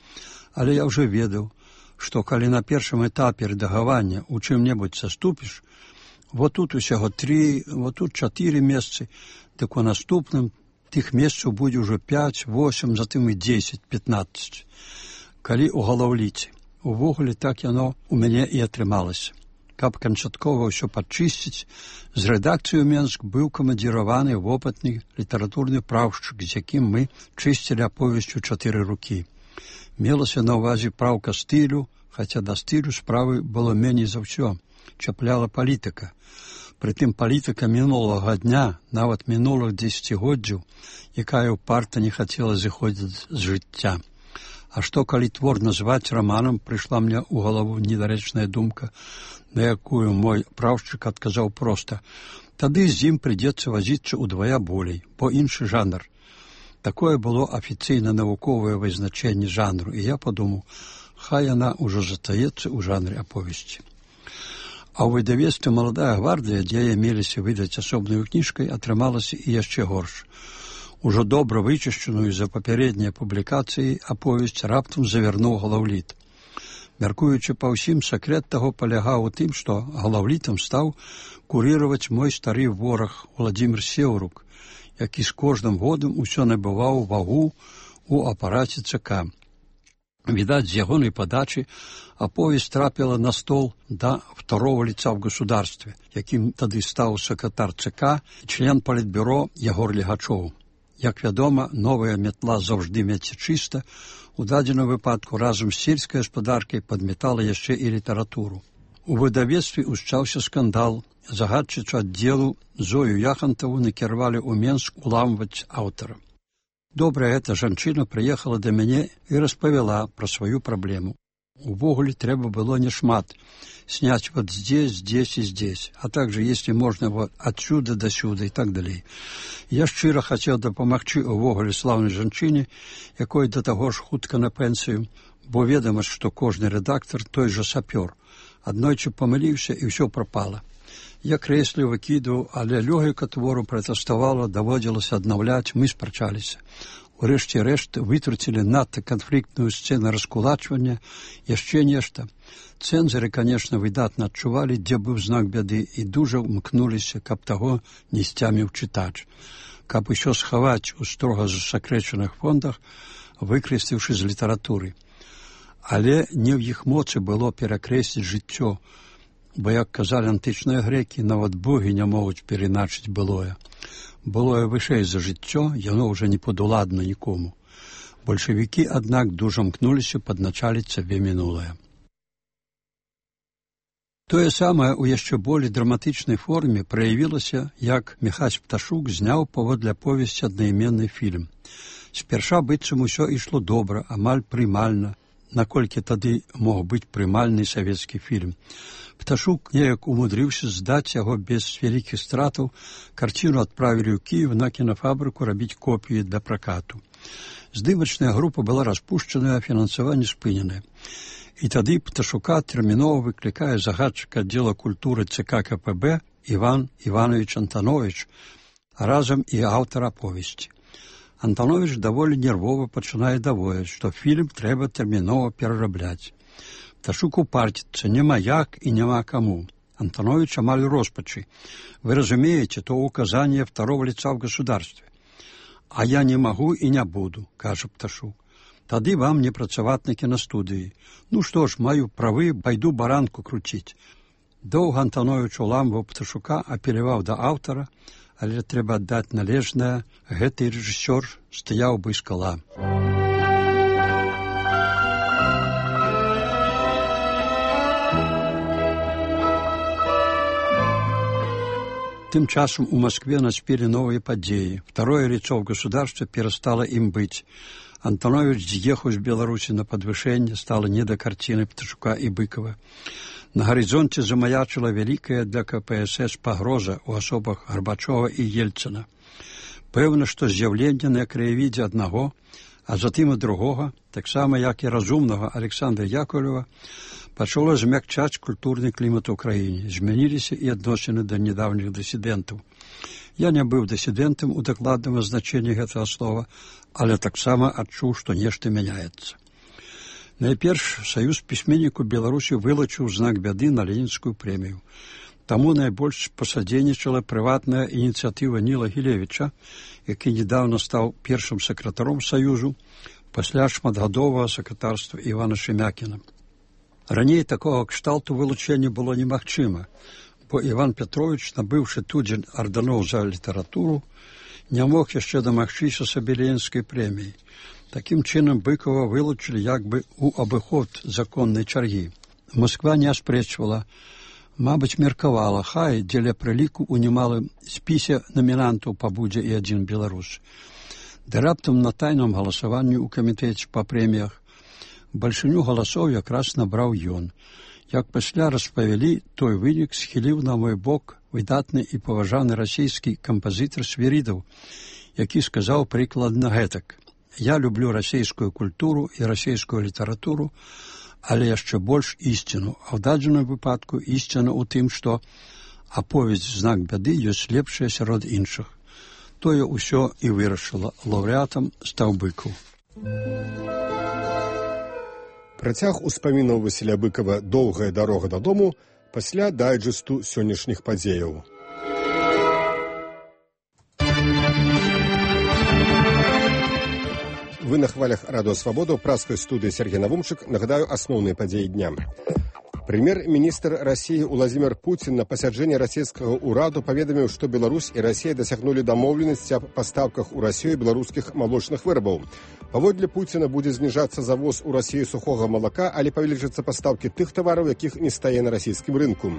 Але я ўжо ведаў, што калі на першым этапе рэдагавання у чым-небудзь саступіш, вот тут усяго тры, вот тут чатыры месцы, дык у наступным тых месцаў будзе ўжо пяць, восем, затым і дзесяць, пятнаццаць. Калі ў галаўліце. Увогуле так яно у мяне і атрымалася. Каб канчаткова ўсё падчысціць, з рэдакцыю Менск быў камандзіраваны вопытны літаратурны праўшчык, з якім мы чысцілі аповесцю чатыры рукі. Мелася на ўвазе праўка стылю, хаця да стылю справы было меней за ўсё. Чапляла палітыка. Прытым палітыка мінулага дня, нават мінулых дзесяцігоддзяў, якая ўпарта не хацела зыходзіць з жыцця. А што, калі твор назваць раманам, прыйшла мне ў галаву недарэчная думка, на якую мой праўшчык адказаў проста. Тады з ім прыйдзецца вазіцца ўдвая болей, бо іншы жанр. Такое было афіцыйна навуковае вызначэнне жанру, і я падумаў, хай яна ўжо застаецца ў жанры аповесці. А ў выдавецтве «Маладая гвардыя», дзе меліся выдаць асобнаю кніжкай, атрымалася і яшчэ горш. Ужо добра вычышчаную за папярэднія публікацыі аповесць раптам завярнуў галаўліт. Мяркуючы па ўсім, сакрэт таго палягаў у тым, што галаўлітам стаў курыраваць мой стары вораг Уладзімір Сеўрук, які з кожным годам усё набываў вагу ў апараце ЦК. Відаць, з ягонай падачы аповесць трапіла на стол да второго лица в государстве, якім тады стаў сакратар ЦК і член палітбюро Ягор Легачоў. Як вядома, новая метла заўжды меце чыста, у дадзеным выпадку разам з сельскай гаспадаркай падметала яшчэ і літаратуру. У выдавецтве ўсчаўся скандал. Загадчыцу аддзелу Зою Яхантаву накіравалі ў Менск уламваць аўтара. Добрая эта жанчына прыехала да мяне і распавяла пра сваю праблему. Увогуле трэба было не шмат. Снять вот здесь, здесь и здесь, а также, если можно, вот отсюда до сюда и так далее. Я шчыра хацеў дапамагчы увогуле слаўнай жанчыне, якой да таго ж хутка на пенсію, бо ведама, што кожны рэдактор той жа сапёр. Аднойчы памыліўся і ўсё прапала. Я крэсліў, выкідваў, але лёгіка твору пратэставала, даводзілася аднаўляць, мы спрачаліся. Урэшце рэшт вытруцілі надта канфліктную сцэну раскулачвання, яшчэ нешта. Цэнзары, конечно, выдатна адчувалі, дзе быў знак бяды, і дужа ўмкнуліся, каб таго не сцяміў чытач. Каб усё схаваць у строга засакрэчаных фондах, выкрэсліўшы з літаратуры. Але не ў іх моцы было перакрэсліць жыццё, бо, як казалі антычныя грэкі, нават богі не могуць перайначыць былое. Былое вышэй за жыццё, яно ўжо не падуладна нікому. Бальшавікі, аднак, дужа мкнуліся падначаліць сабе мінулае. Тое самае ў яшчэ болей драматычнай форме праявілася, як Міхась Пташук зняў паводле аповесці аднайменны фільм. Спярша быццам усё ішло добра, амаль прымальна, наколькі тады мог быць прымальны савецкі фільм. Пташук неяк умудрыўся здаць яго без вялікіх стратаў, карціну адправілі ў Кіев на кінафабрыку рабіць копіі для пракату. Здымачная група была распушчаная, а фінансаванне спыненае. І тады Пташука тэрмінова выклікае загадчык аддзела культуры ЦК КПБ Іван Іванович Антанович, а разам і аўтар аповесці. Антанович даволі нервова пачынае даводзіць, што фільм трэба тэрмінова перарабляць. Пташук упарціцца, няма як і няма каму. Антанович амаль у роспачы. Вы разумеете, то указание второго лица в государстве. А я не могу и не буду, кажа Пташук. Тады вам не працаваць на кінастудыі. Ну што ж, маю правы, пайду баранку круціць. Доўга Антанович уламваў Пташука, апеляваў да аўтара, але трэба аддаць належнае, гэты рэжысёр стаяў бы скала. Тым часам у Москве наспелі новыя падзеі. Второе лицо в государстве перестало им быть. Антанович з'ехаў з Беларусі на падвышэнне, стала не да карціны Пташука і Быкова. На гарызонце замаячыла вялікая для КПСС пагроза ў асобах Гарбачова і Ельцына. Пэўна, што з'яўленне на краявідзе аднаго, а затым і другога, таксама як і разумнага Александра Яковлева, пачало змякчаць культурны клімат у краіне. Змяніліся і адносіны да нядаўніх дысідэнтаў. Я не быў дысідэнтам у дакладным азначэнні гэтага слова, але таксама адчуў, што нешта мяняецца. Найперш, Саюз пісьменнікаў Беларусі вылучыў знак бяды на Ленінскую прэмію. Таму найбольш пасадзейнічала прыватная ініцыятыва Ніла Гілевіча, які недавно стаў першым сакратаром Саюзу пасля шматгадовага сакратарства Івана Шемякіна. Раней такога кшталту вылучэння было немагчыма, бо Іван Петрович, набыўшы тудзень ардэноў за літаратуру, не мог яшчэ дамагчыся сабе Ленінскай прэміі. Такім чынам Быкова вылучылі як бы у абыход законнай чаргі. Москва не аспрэчвала, мабыць, меркавала, хай дзеля прыліку ў немалым спісе намінантаў пабудзе і адзін беларус. Да раптам на тайным галасаванні ў камітэце па прэміях бальшыню галасоў якраз набраў ён. Як пасля распавялі, той вынік схіліў на мой бок выдатны і паважаны расійскі кампазітар Свірідаў, які сказаў прыкладна гэтак: «Я люблю расійскую культуру і расійскую літаратуру, але яшчэ больш ісціну, а ў дадзеным выпадку ісціна ў тым, што аповесць «Знак бяды» ёсць лепшая сярод іншых». Тое ўсё і вырашыла. Лаўрэатам стаў Быкаў. Працяг успамінаў Васіля Быкава «Доўгая дарога дадому» пасля дайджэсту сённяшніх падзеяў. Вы на хвалях Радио Свобода, праской студии Сергей Навумчик. Нагадаю, основные подеи дня. Премьер-министр России Владимир Путин на пасяджэнні расійскага ўраду паведаміў, што Беларусь і Расія дасягнулі дамоўленасці аб пастаўках у Расію беларускіх малочных вырабаў. Паводле Пуціна будзе зніжацца завоз у Расію сухога малака, але павелічацца пастаўкі тых тавараў, якіх не стае на расійскім рынку.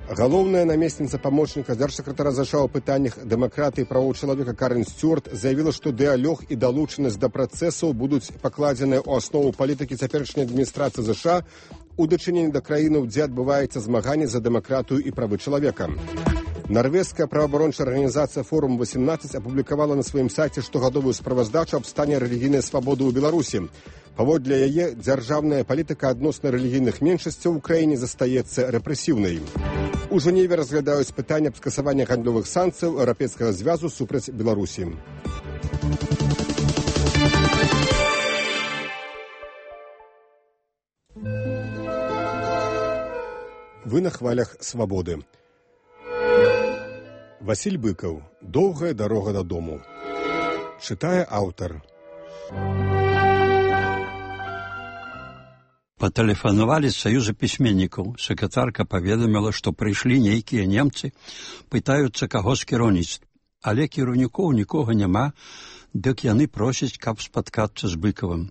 Галоўная намесніца памочніка дзяржсакратара ЗША ў пытаннях дэмакратыі і правоў чалавека Карен Стюарт заявіла, што дыялог і далучанасць да працэсаў будуць пакладзеныя ў аснову палітыкі цяперашняй адміністрацыі ЗША у дачыненні да краінаў, дзе адбываецца змаганне за дэмакратыю і правы чалавека. Нарвежская праваабарончая арганізацыя «Форум восемнадцать» апублікавала на сваім сайце штогадовую справаздачу аб стане рэлігійнай свабоды ў Беларусі. Паводле яе, дзяржаўная палітыка адносна рэлігійных меншасцяў у краіне застаецца рэпрэсіўнай. У Жэневе разглядаюць пытанне аб скасаванні гандлёвых санкцыяў Еўрапейскага звязу супраць Беларусі. Вы на хвалях свабоды. Васіль Быкаў. Доўгая дарога дадому. Чытае аўтар. Патэлефанавалі з саюза пісьменнікаў. Сакратарка паведаміла, што прыйшлі нейкія немцы, пытаюцца каго з кіраўніцтва. Але кіраўнікоў нікога няма, дык яны просяць, каб спаткацца з Быкавым.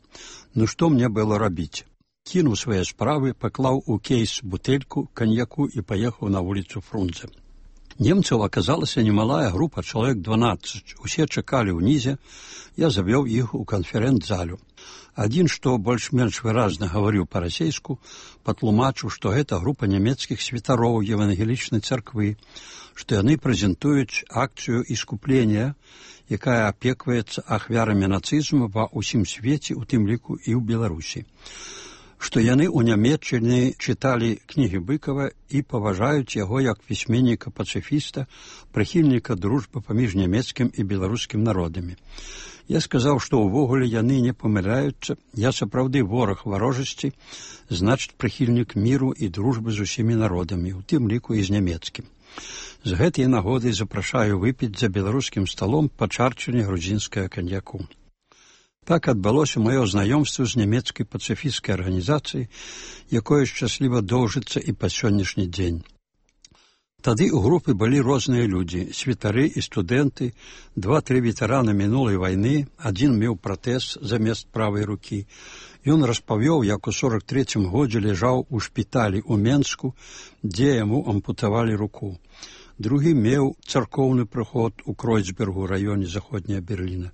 Ну што мне было рабіць? Кінуў свае справы, паклаў у кейс бутэльку каньяку і паехаў на вуліцу Фрунзе. Немцаў аказалася немалая група, чалавек дванаццаць. Усе чакалі ўнізе, я завёў іх у канферэнц-залю. Адзін, што больш-менш выразна гаварыў па-расейску, патлумачыў, што гэта група нямецкіх святароў евангелічнай царквы, што яны прэзентуюць акцыю іскуплення, якая апекваецца ахвярамі нацызму ва ўсім свеце, у тым ліку і ў Беларусі. Што яны ў Нямецчыне чыталі кнігі Быкава і паважаюць яго як пісьменніка-пацыфіста, прыхільніка дружбы паміж нямецкім і беларускім народамі. Я сказаў, што ўвогуле яны не памыляюцца, я сапраўды вораг варожасці, значыць прыхільнік міру і дружбы з усімі народамі, у тым ліку і з нямецкім. З гэтай нагоды запрашаю выпіць за беларускім сталом па чарчыне грузінскага каньяку. Так адбылося маё знаёмства з нямецкай пацыфісцкай арганізацыяй, якое шчасліва доўжыцца і па сённяшні дзень. Тады ў групы былі розныя людзі, святары і студэнты, два-тры ветэраны мінулай вайны, адзін меў пратэз замест правай рукі. Ён распавёў, як у сорак трэцім годзе ляжаў у шпіталі ў Менску, дзе яму ампутавалі руку. Другі меў царкоўны прыход у Кройцбергу, раёне заходняя Берліна.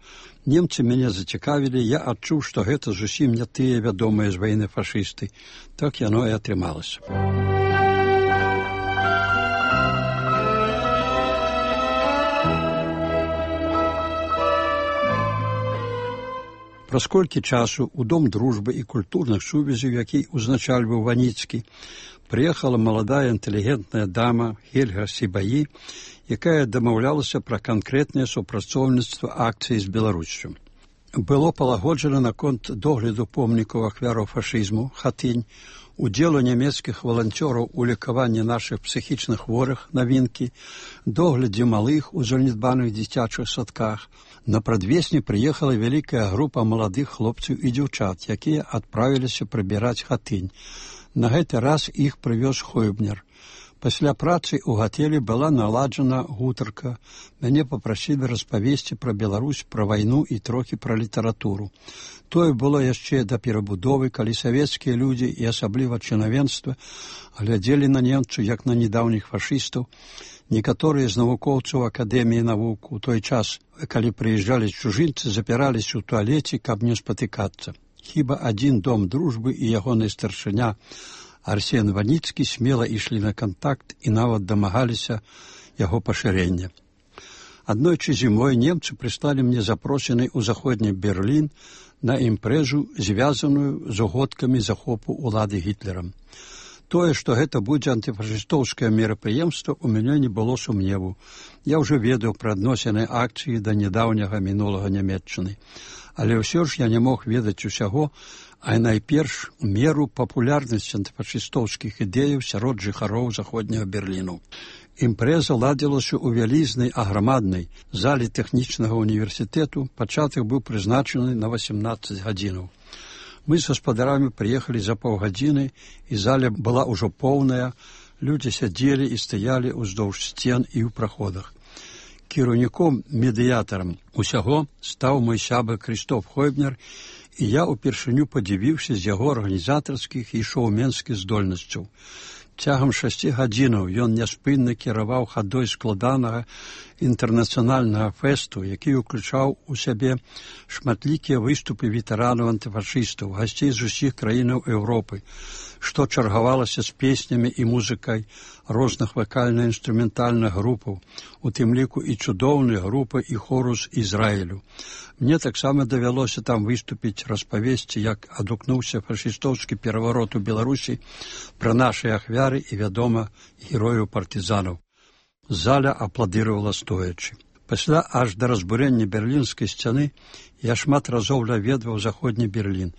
Немцы мяне зацікавілі, я адчуў, што гэта зусім не тыя вядомыя з вайны фашысты. Так яно і атрымалася. Праз колькі часу ў Дом дружбы і культурных сувязяў, які узначальваў Ваніцкі, прыехала маладая інтэлігентная дама Хельга Сібаі, якая дамаўлялася пра канкрэтнае супрацоўніцтва акцыі з Беларуссю. Было палагоджана наконт догляду помнікаў ахвяраў фашызму, хатынь, удзелу нямецкіх валанцёраў у лекаванні нашых псіхічных хворых, навінкі, доглядзе малых у занядбаных дзіцячых садках. На прадвесні прыехала вялікая група маладых хлопцаў і дзяўчат, якія адправіліся прыбіраць хатынь. На гэты раз іх прывёз Хойбнер. Пасля працы ў гатэлі была наладжана гутарка. Мяне папрасілі распавесці пра Беларусь, пра вайну і трохі пра літаратуру. Тое было яшчэ да перабудовы, калі савецкія людзі і асабліва чынавенства глядзелі на немцаў як на недаўніх фашыстаў. Некаторыя з навукоўцаў Акадэміі навук у той час, калі прыязджалі чужынцы, запіраліся ў туалеце, каб не спатыкацца. Хіба адзін Дом дружбы і ягоны старшыня Арсен Ваніцкі смела ішлі на кантакт і нават дамагаліся яго пашырення. Аднойчы зімой немцы прыслалі мне запрошаны ў заходні Берлін на імпрэзу, звязаную з угодкамі захопу улады Гітлерам. Тое, што гэта будзе антыфашыстоўскае мерапрыемства, у мяне не было сумневу. Я ўжо ведаў пра адносіны акцыі да нядаўняга мінулага Нямецчыны. Але ўсё ж я не мог ведаць усяго, а найперш меру папулярнасці антыфашыстоўскіх ідэяў сярод жыхароў заходняга Берліну. Імпрэза ладзілася ў вялізнай аграмаднай зале тэхнічнага універсітэту, пачатак быў прызначаны на васемнаццаць гадзінаў. Мы з гаспадарамі прыехалі за паўгадзіны, і заля была ўжо поўная, людзі сядзелі і стаялі ўздоўж сцен і ў праходах. Кіраўніком, медыятарам усяго стаў мой сябар Крыстоф Хойбнер, і я ўпершыню падзівіўся з яго арганізатарскіх і шоуменскіх здольнасцяў. Цягам шасці гадзінаў ён няспынна кіраваў хадой складанага інтэрнацыянальнага фэсту, які ўключаў у сябе шматлікія выступы ветэранаў-антыфашыстаў, гасцей з усіх краінаў Еўропы, што чаргавалася з песнямі і музыкай розных вакальна-інструментальных групаў, у тым ліку і цудоўныя групы і хору з Ізраілю. Мне таксама давялося там выступіць, распавесці, як адгукнуўся фашыстоўскі пераварот у Беларусі пра нашы ахвяры і, вядома, герояў партызанаў. Заля апладыравала стоячы. Пасля аж да разбурэння берлінскай сцяны я шмат разоў наведваў заходні Берлін.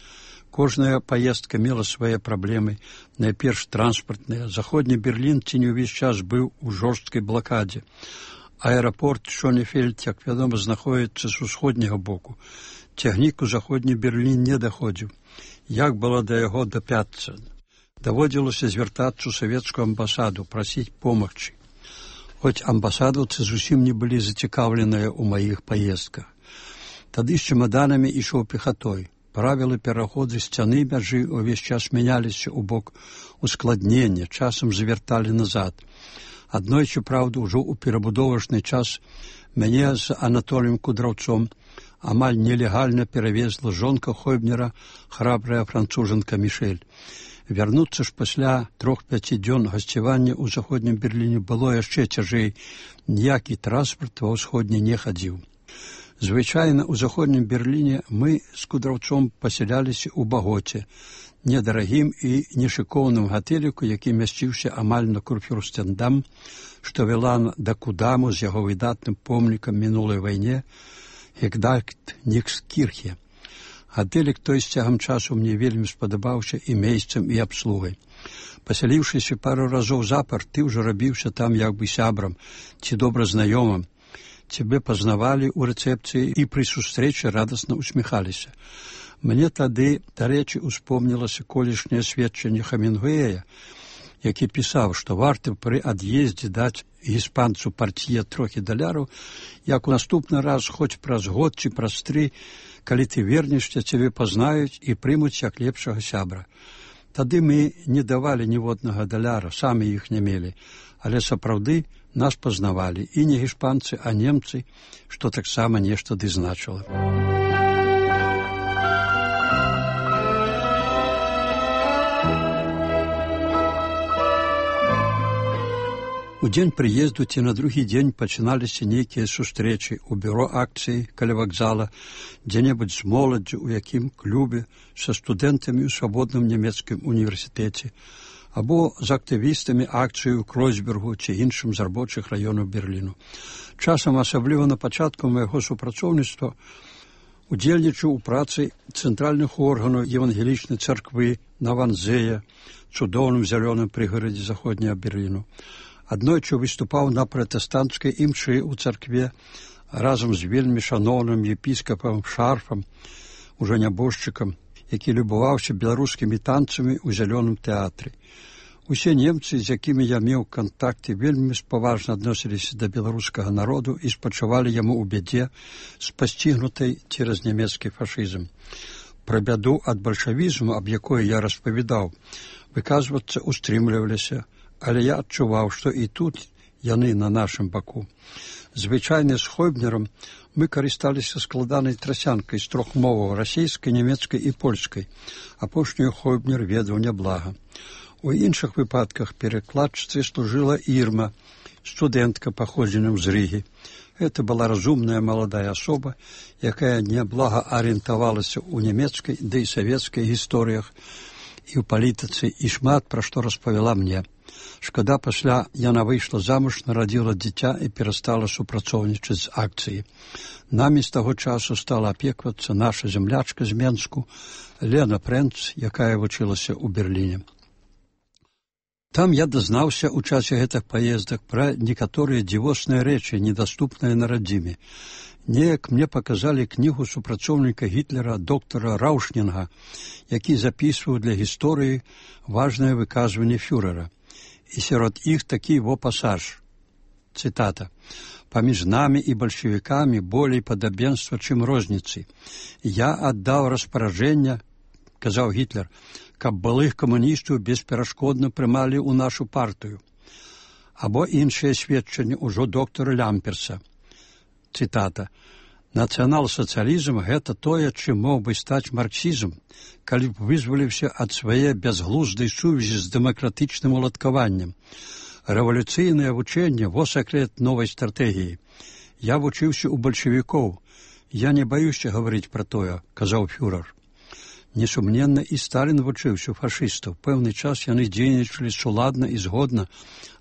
Кожная паездка мела свае праблемы, найперш транспартныя. Заходні Берлін ці не ўвесь час быў у жорсткай блакадзе. Аэрапорт Шонефельд, як вядома, знаходзіцца з усходняга боку. Цягнік у заходні Берлін не даходзіў. Як было да яго дапяцца? Даводзілася звяртацца ў савецкую амбасаду, прасіць помагчы. Хоць амбасадаўцы зусім не былі зацікаўленыя ў маіх паездках. Тады з чемаданамі ішоў пехатой. Правілы пераходу сцяны мяжы ўвесь час мяняліся ў бок ускладнення, часам завярталі назад. Аднойчы, праўда, ужо ў перабудовачны час мяне з Анатоліем Кудраўцом амаль нелегальна перавезла жонка Хойбнера, храбрая францужанка Мішэль. Вярнуцца ж пасля трох-пяці дзён гасцявання ў заходнім Берліне было яшчэ цяжэй. Ніякі транспарт ва ўсходні не хадзіў. Звычайна ў заходнім Берліне мы з Кудраўцом пасяляліся ў Багоце, недарагім і нешыкоўным гатэліку, які мясціўся амаль на Курфюрстендам, што вела да Кудаму з яго выдатным помнікам мінулай вайне Гегдальт Нікскірхе. Гатэлік той з цягам часу мне вельмі спадабаўся і месцам, і абслугай. Пасяліўшыся пару разоў запар, ты ўжо рабіўся там як бы сябрам ці добра знаёмым. Цябе пазнавалі ў рэцэпцыі і пры сустрэчы радасна усміхаліся. Мне тады, дарэчы, успомнілася колішняе сведчанне Хемінгуэя, які пісаў, што варта пры ад'ездзе даць іспанцу партіе трохі даляраў, як у наступны раз, хоць праз год ці праз тры, калі ты вернешся, цябе пазнаюць і прымуць як лепшага сябра. Тады мы не давалі ніводнага даляра, самі іх не мелі, але сапраўды нас пазнавалі і не іспанцы, а немцы, што таксама нешта ды значыла. У дзень прыезду ці на другі дзень пачыналіся нейкія сустрэчы ў бюро акцыі каля вакзала, дзе-небудзь з моладдзю, у якім клубе, са студэнтамі ў свабодным нямецкім універсітэце, або з актывістамі акцыі ў Кройцбергу ці іншым з рабочых раёнаў Берліну. Часам, асабліва на пачатку майго супрацоўніцтва, удзельнічаў у працы цэнтральных органаў евангелічнай царквы на Ванзея, цудоўным зялёным прыгарадзе заходняга Берліну. Аднойчы выступаў на пратэстанцкай імшы ў царкве разам з вельмі шаноўным епіскапам Шарфам, ужо нябожчыкам, які любаваўся беларускімі танцамі ў зялёным тэатры. Усе немцы, з якімі я меў кантакты, вельмі спаважна адносіліся да беларускага народу і спачувалі яму ў бядзе, спасцігнутай цераз нямецкі фашызм. Пра бяду ад бальшавізму, аб якой я распавядаў, выказвацца устрымліваліся, але я адчуваў, што і тут яны на нашым баку. Звычайна з Хойбнерам мы карысталіся складанай трасянкай з трох моваў – расейскай, нямецкай і польскай. Апошнюю Хойбнер ведаў няблага. У іншых выпадках перакладчыцай служыла Ірма, студэнтка паходзеннем з Рыгі. Гэта была разумная маладая асоба, якая няблага арыентавалася ў нямецкай, ды і савецкай гісторыях і ў палітыцы, і шмат пра што распавяла мне. Шкада, пасля яна выйшла замуж, нарадзіла дзіця і перастала супрацоўнічаць з акцыяй. Намі з таго часу стала апеквацца наша зямлячка з Менску, Лена Прэнц, якая вучылася ў Берліне. Там я дазнаўся ў часе гэтых паездак пра некаторыя дзівосныя рэчы, недаступныя на радзіме. Неяк мне паказалі кнігу супрацоўніка Гітлера доктара Раушнінга, які запісваў для гісторыі важнае выказванне фюрэра. І сярод іх такі во пасаж. Цытата. «Паміж намі і бальшавікамі болей падабенства, чым розніцы. Я аддаў распаражэння, казаў Гітлер, каб былых камуністаў бесперашкодна прымалі ў нашу партыю. Або іншыя сведчанні ўжо доктара Лямперса. Цытата. Нацыянал-сацыялізм – гэта тое, чым мог бы стаць марксізм, калі б вызваліўся ад свае бязглуздай сувязі з дэмакратычным уладкаваннем. Рэвалюцыйнае вучэнне – во сакрэт новай стратэгіі. Я вучыўся ў бальшавікоў. Я не баюся гаварыць пра тое, казаў фюрер. Несумненна, і Сталін вучыўся ў фашыстаў. Пэўны час яны дзейнічалі суладна і згодна,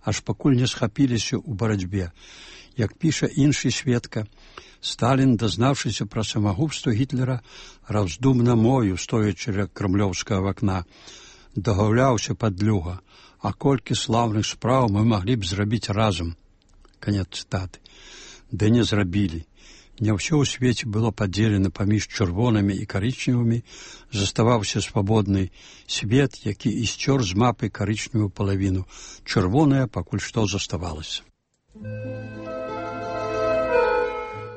аж пакуль не схапіліся ў барацьбе. Як піша іншы сведка, Сталін, дазнаўшыся пра самагубства Гітлера, раздумна мою, стоячы ля крамлёўскага вакна, дагаўляўся падлюга, а колькі слаўных спраў мы маглі б зрабіць разам. Канец цытаты. Ды не зрабілі. Не ўсё ў свеце было падзелена паміж чырвонымі і карычневымі, заставаўся свабодны свет, які і сцёр з мапы карычневую палавіну. Чырвоная пакуль што заставалася.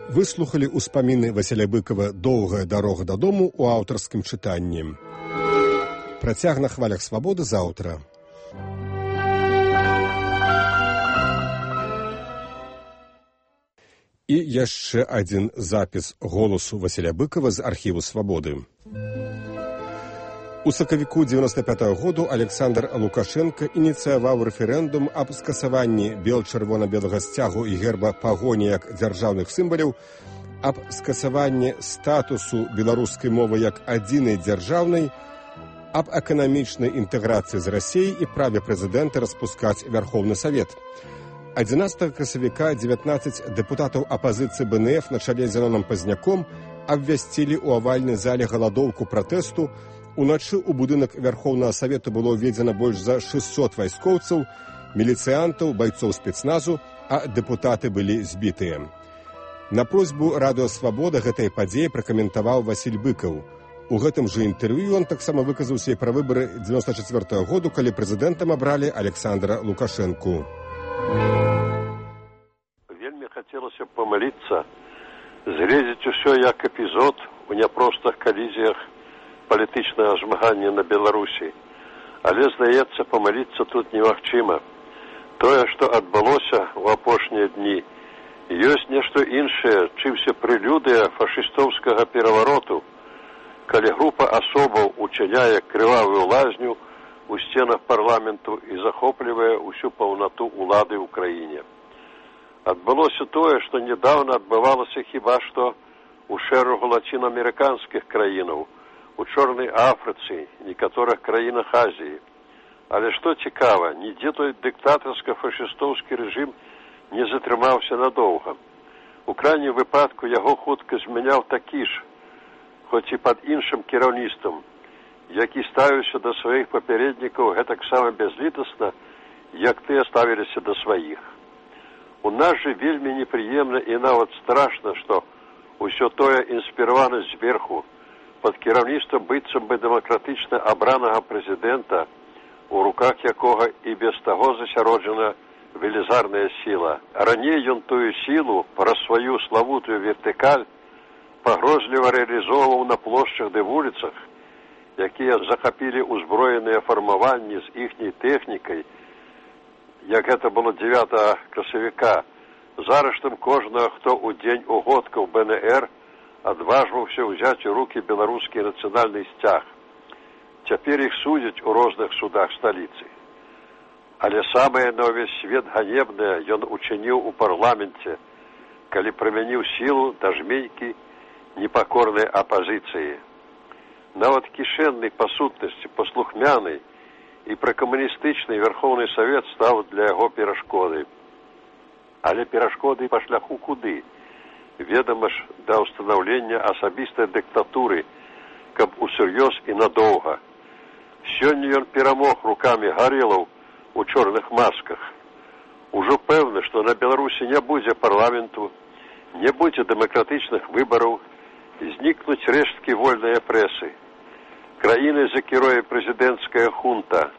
Выслухалі ўспаміны Васіля Быкова «Доўгая дарога дадому» у аўтарскім чытанні. Працяг на хвалях свабоды заўтра. І яшчэ адзін запіс голасу Васіля Быкова з архіву «Свабоды». У сакавіку дзевяноста пятага году Александр Лукашенко ініцыяваў рэферэндум аб скасаванні бел-чырвона-белага сцягу і герба пагоні як дзяржаўных сімваляў, аб скасаванні статусу беларускай мовы як адзінай дзяржаўнай, аб эканамічнай інтэграцыі з Расіяй і праве прэзідэнта распускаць Вярхоўны Савет. адзінаццатага красавіка дзевятнаццаць дэпутатаў апазіцыі бэ эн эф на чале з Зяноном Пазняком абвясцілі ў авальнай зале галадоўку пратэсту. Уначы ў будынак Вярхоўнага Савету было ўведзена больш за шэсцьсот вайскоўцаў, міліцыянтаў, байцоў спецназу, а дэпутаты былі збітыя. На просьбу радыё «Свабода» гэтай падзеі пракаментаваў Васіль Быкаў. У гэтым жа інтэрв'ю ён таксама выказаўся і пра выбары дзевяноста чацвёртага году, калі прэзідэнтам абралі Александра Лукашэнку. Вельмі хацелася б памыліцца, згледзець усё як эпізод у няпростых калізіях палітычнага змагання на Беларусі. Але, здаецца, памыліцца тут немагчыма. Тое, што адбылося ў апошнія дні, ёсць нешта іншае, чымся прэлюдыя фашыстоўскага перавароту, калі група асобаў учыняе крывавую лазню у сценах парламенту і захоплівае ўсю паўнату ўлады ў краіне. Адбылося тое, што нядаўна адбывалася хіба што ў шэрагу лацінаамерыканскіх краінаў, у Чорнай Афрыцы, некаторых краінах Азіі. Але што цікава, нідзе той дыктатарска-фашыстоўскі рэжым не затрымаўся надоўга. У крайнім выпадку яго хутка змяняў такі ж, хоць і пад іншым кіраўніцтвам, які ставіўся да сваіх папярэднікаў гэтаксама бязлітасна, як тыя ставіліся да сваіх. У нас жа вельмі непрыемна і нават страшна, што ўсё тое інспіравана зверху, пад кіраўніцтвам быццам бы дэмакратычна абранага прэзідэнта, у руках якога і без таго засяроджана велізарная сіла. Раней ён тую сілу праз сваю славутую вертыкаль пагрозліва рэалізоўваў на плошчах ды вуліцах, якія захапілі ўзброеныя фармаванні з іхняй тэхнікай, як гэта было дзевятага красавіка, зараштам кожнага, хто ў дзень угодкаў бэ эн эр адважваўся ўзяць у рукі беларускі нацыянальны сцяг. Цяпер іх судзяць у розных судах сталіцы. Але самае на ўвесь свет ганебнае ён учыніў у парламенце, калі прымяніў сілу да жменькі непакорнай апазіцыі. Нават кішэнны па сутнасці, паслухмяны і пракамуністычны Верхоўны Савет стаў для яго перашкодай. Але перашкоды па шляху куды? Ведама ж, да ўстанаўлення асабістай дыктатуры, каб усур'ёз і надоўга. Сёння ён перамог рукамі гарэлаў у чорных масках. Ужо пэўна, што на Беларусі не будзе парламенту, не будзе дэмакратычных выбараў, знікнуць рэшткі вольныя прэсы. Краіны закіруе прэзідэнцкая хунта,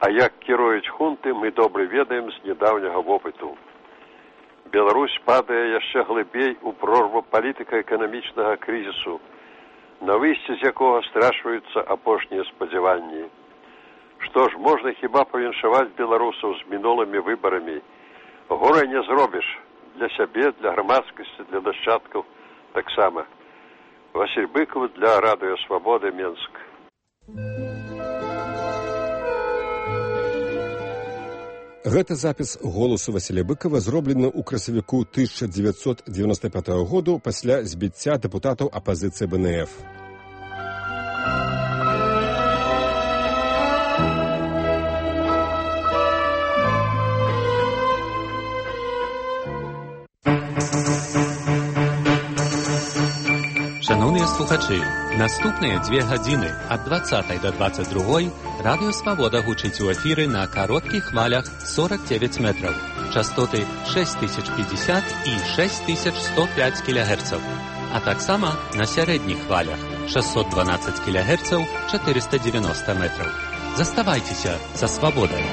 а як кіруюць хунты, мы добра ведаем з нядаўняга вопыту. Беларусь падае яшчэ глыбей у прорву палітыка-эканамічнага крызісу, на выйсце з якога страшваюцца апошнія спадзяванні. Што ж, можна хіба павіншаваць беларусаў з мінулымі выбарамі. Горай не зробіш. Для сябе, для грамадскасці, для нашчадкаў таксама. Васіль Быкаў для радыё Свабода, Менск. Гэта запіс голасу Васіля Быкава зроблены ў красавіку тысяча дзевяцьсот дзевяноста пятага году пасля збіцця дэпутатаў апазіцыі бэ эн эф. Шановныя слухачы, наступныя дзве гадзіны ад дваццатай да дваццаць другой радыё Свабода гучыць у эфіры на кароткіх хвалях сорок девять метраў, частоты шесть тысяч пятьдесят і шесть тысяч сто пять кілягерцаў, а таксама на сярэдніх хвалях шестьсот двенадцать кілягерцаў, четыреста девяносто метраў. Заставайцеся са Свабодай.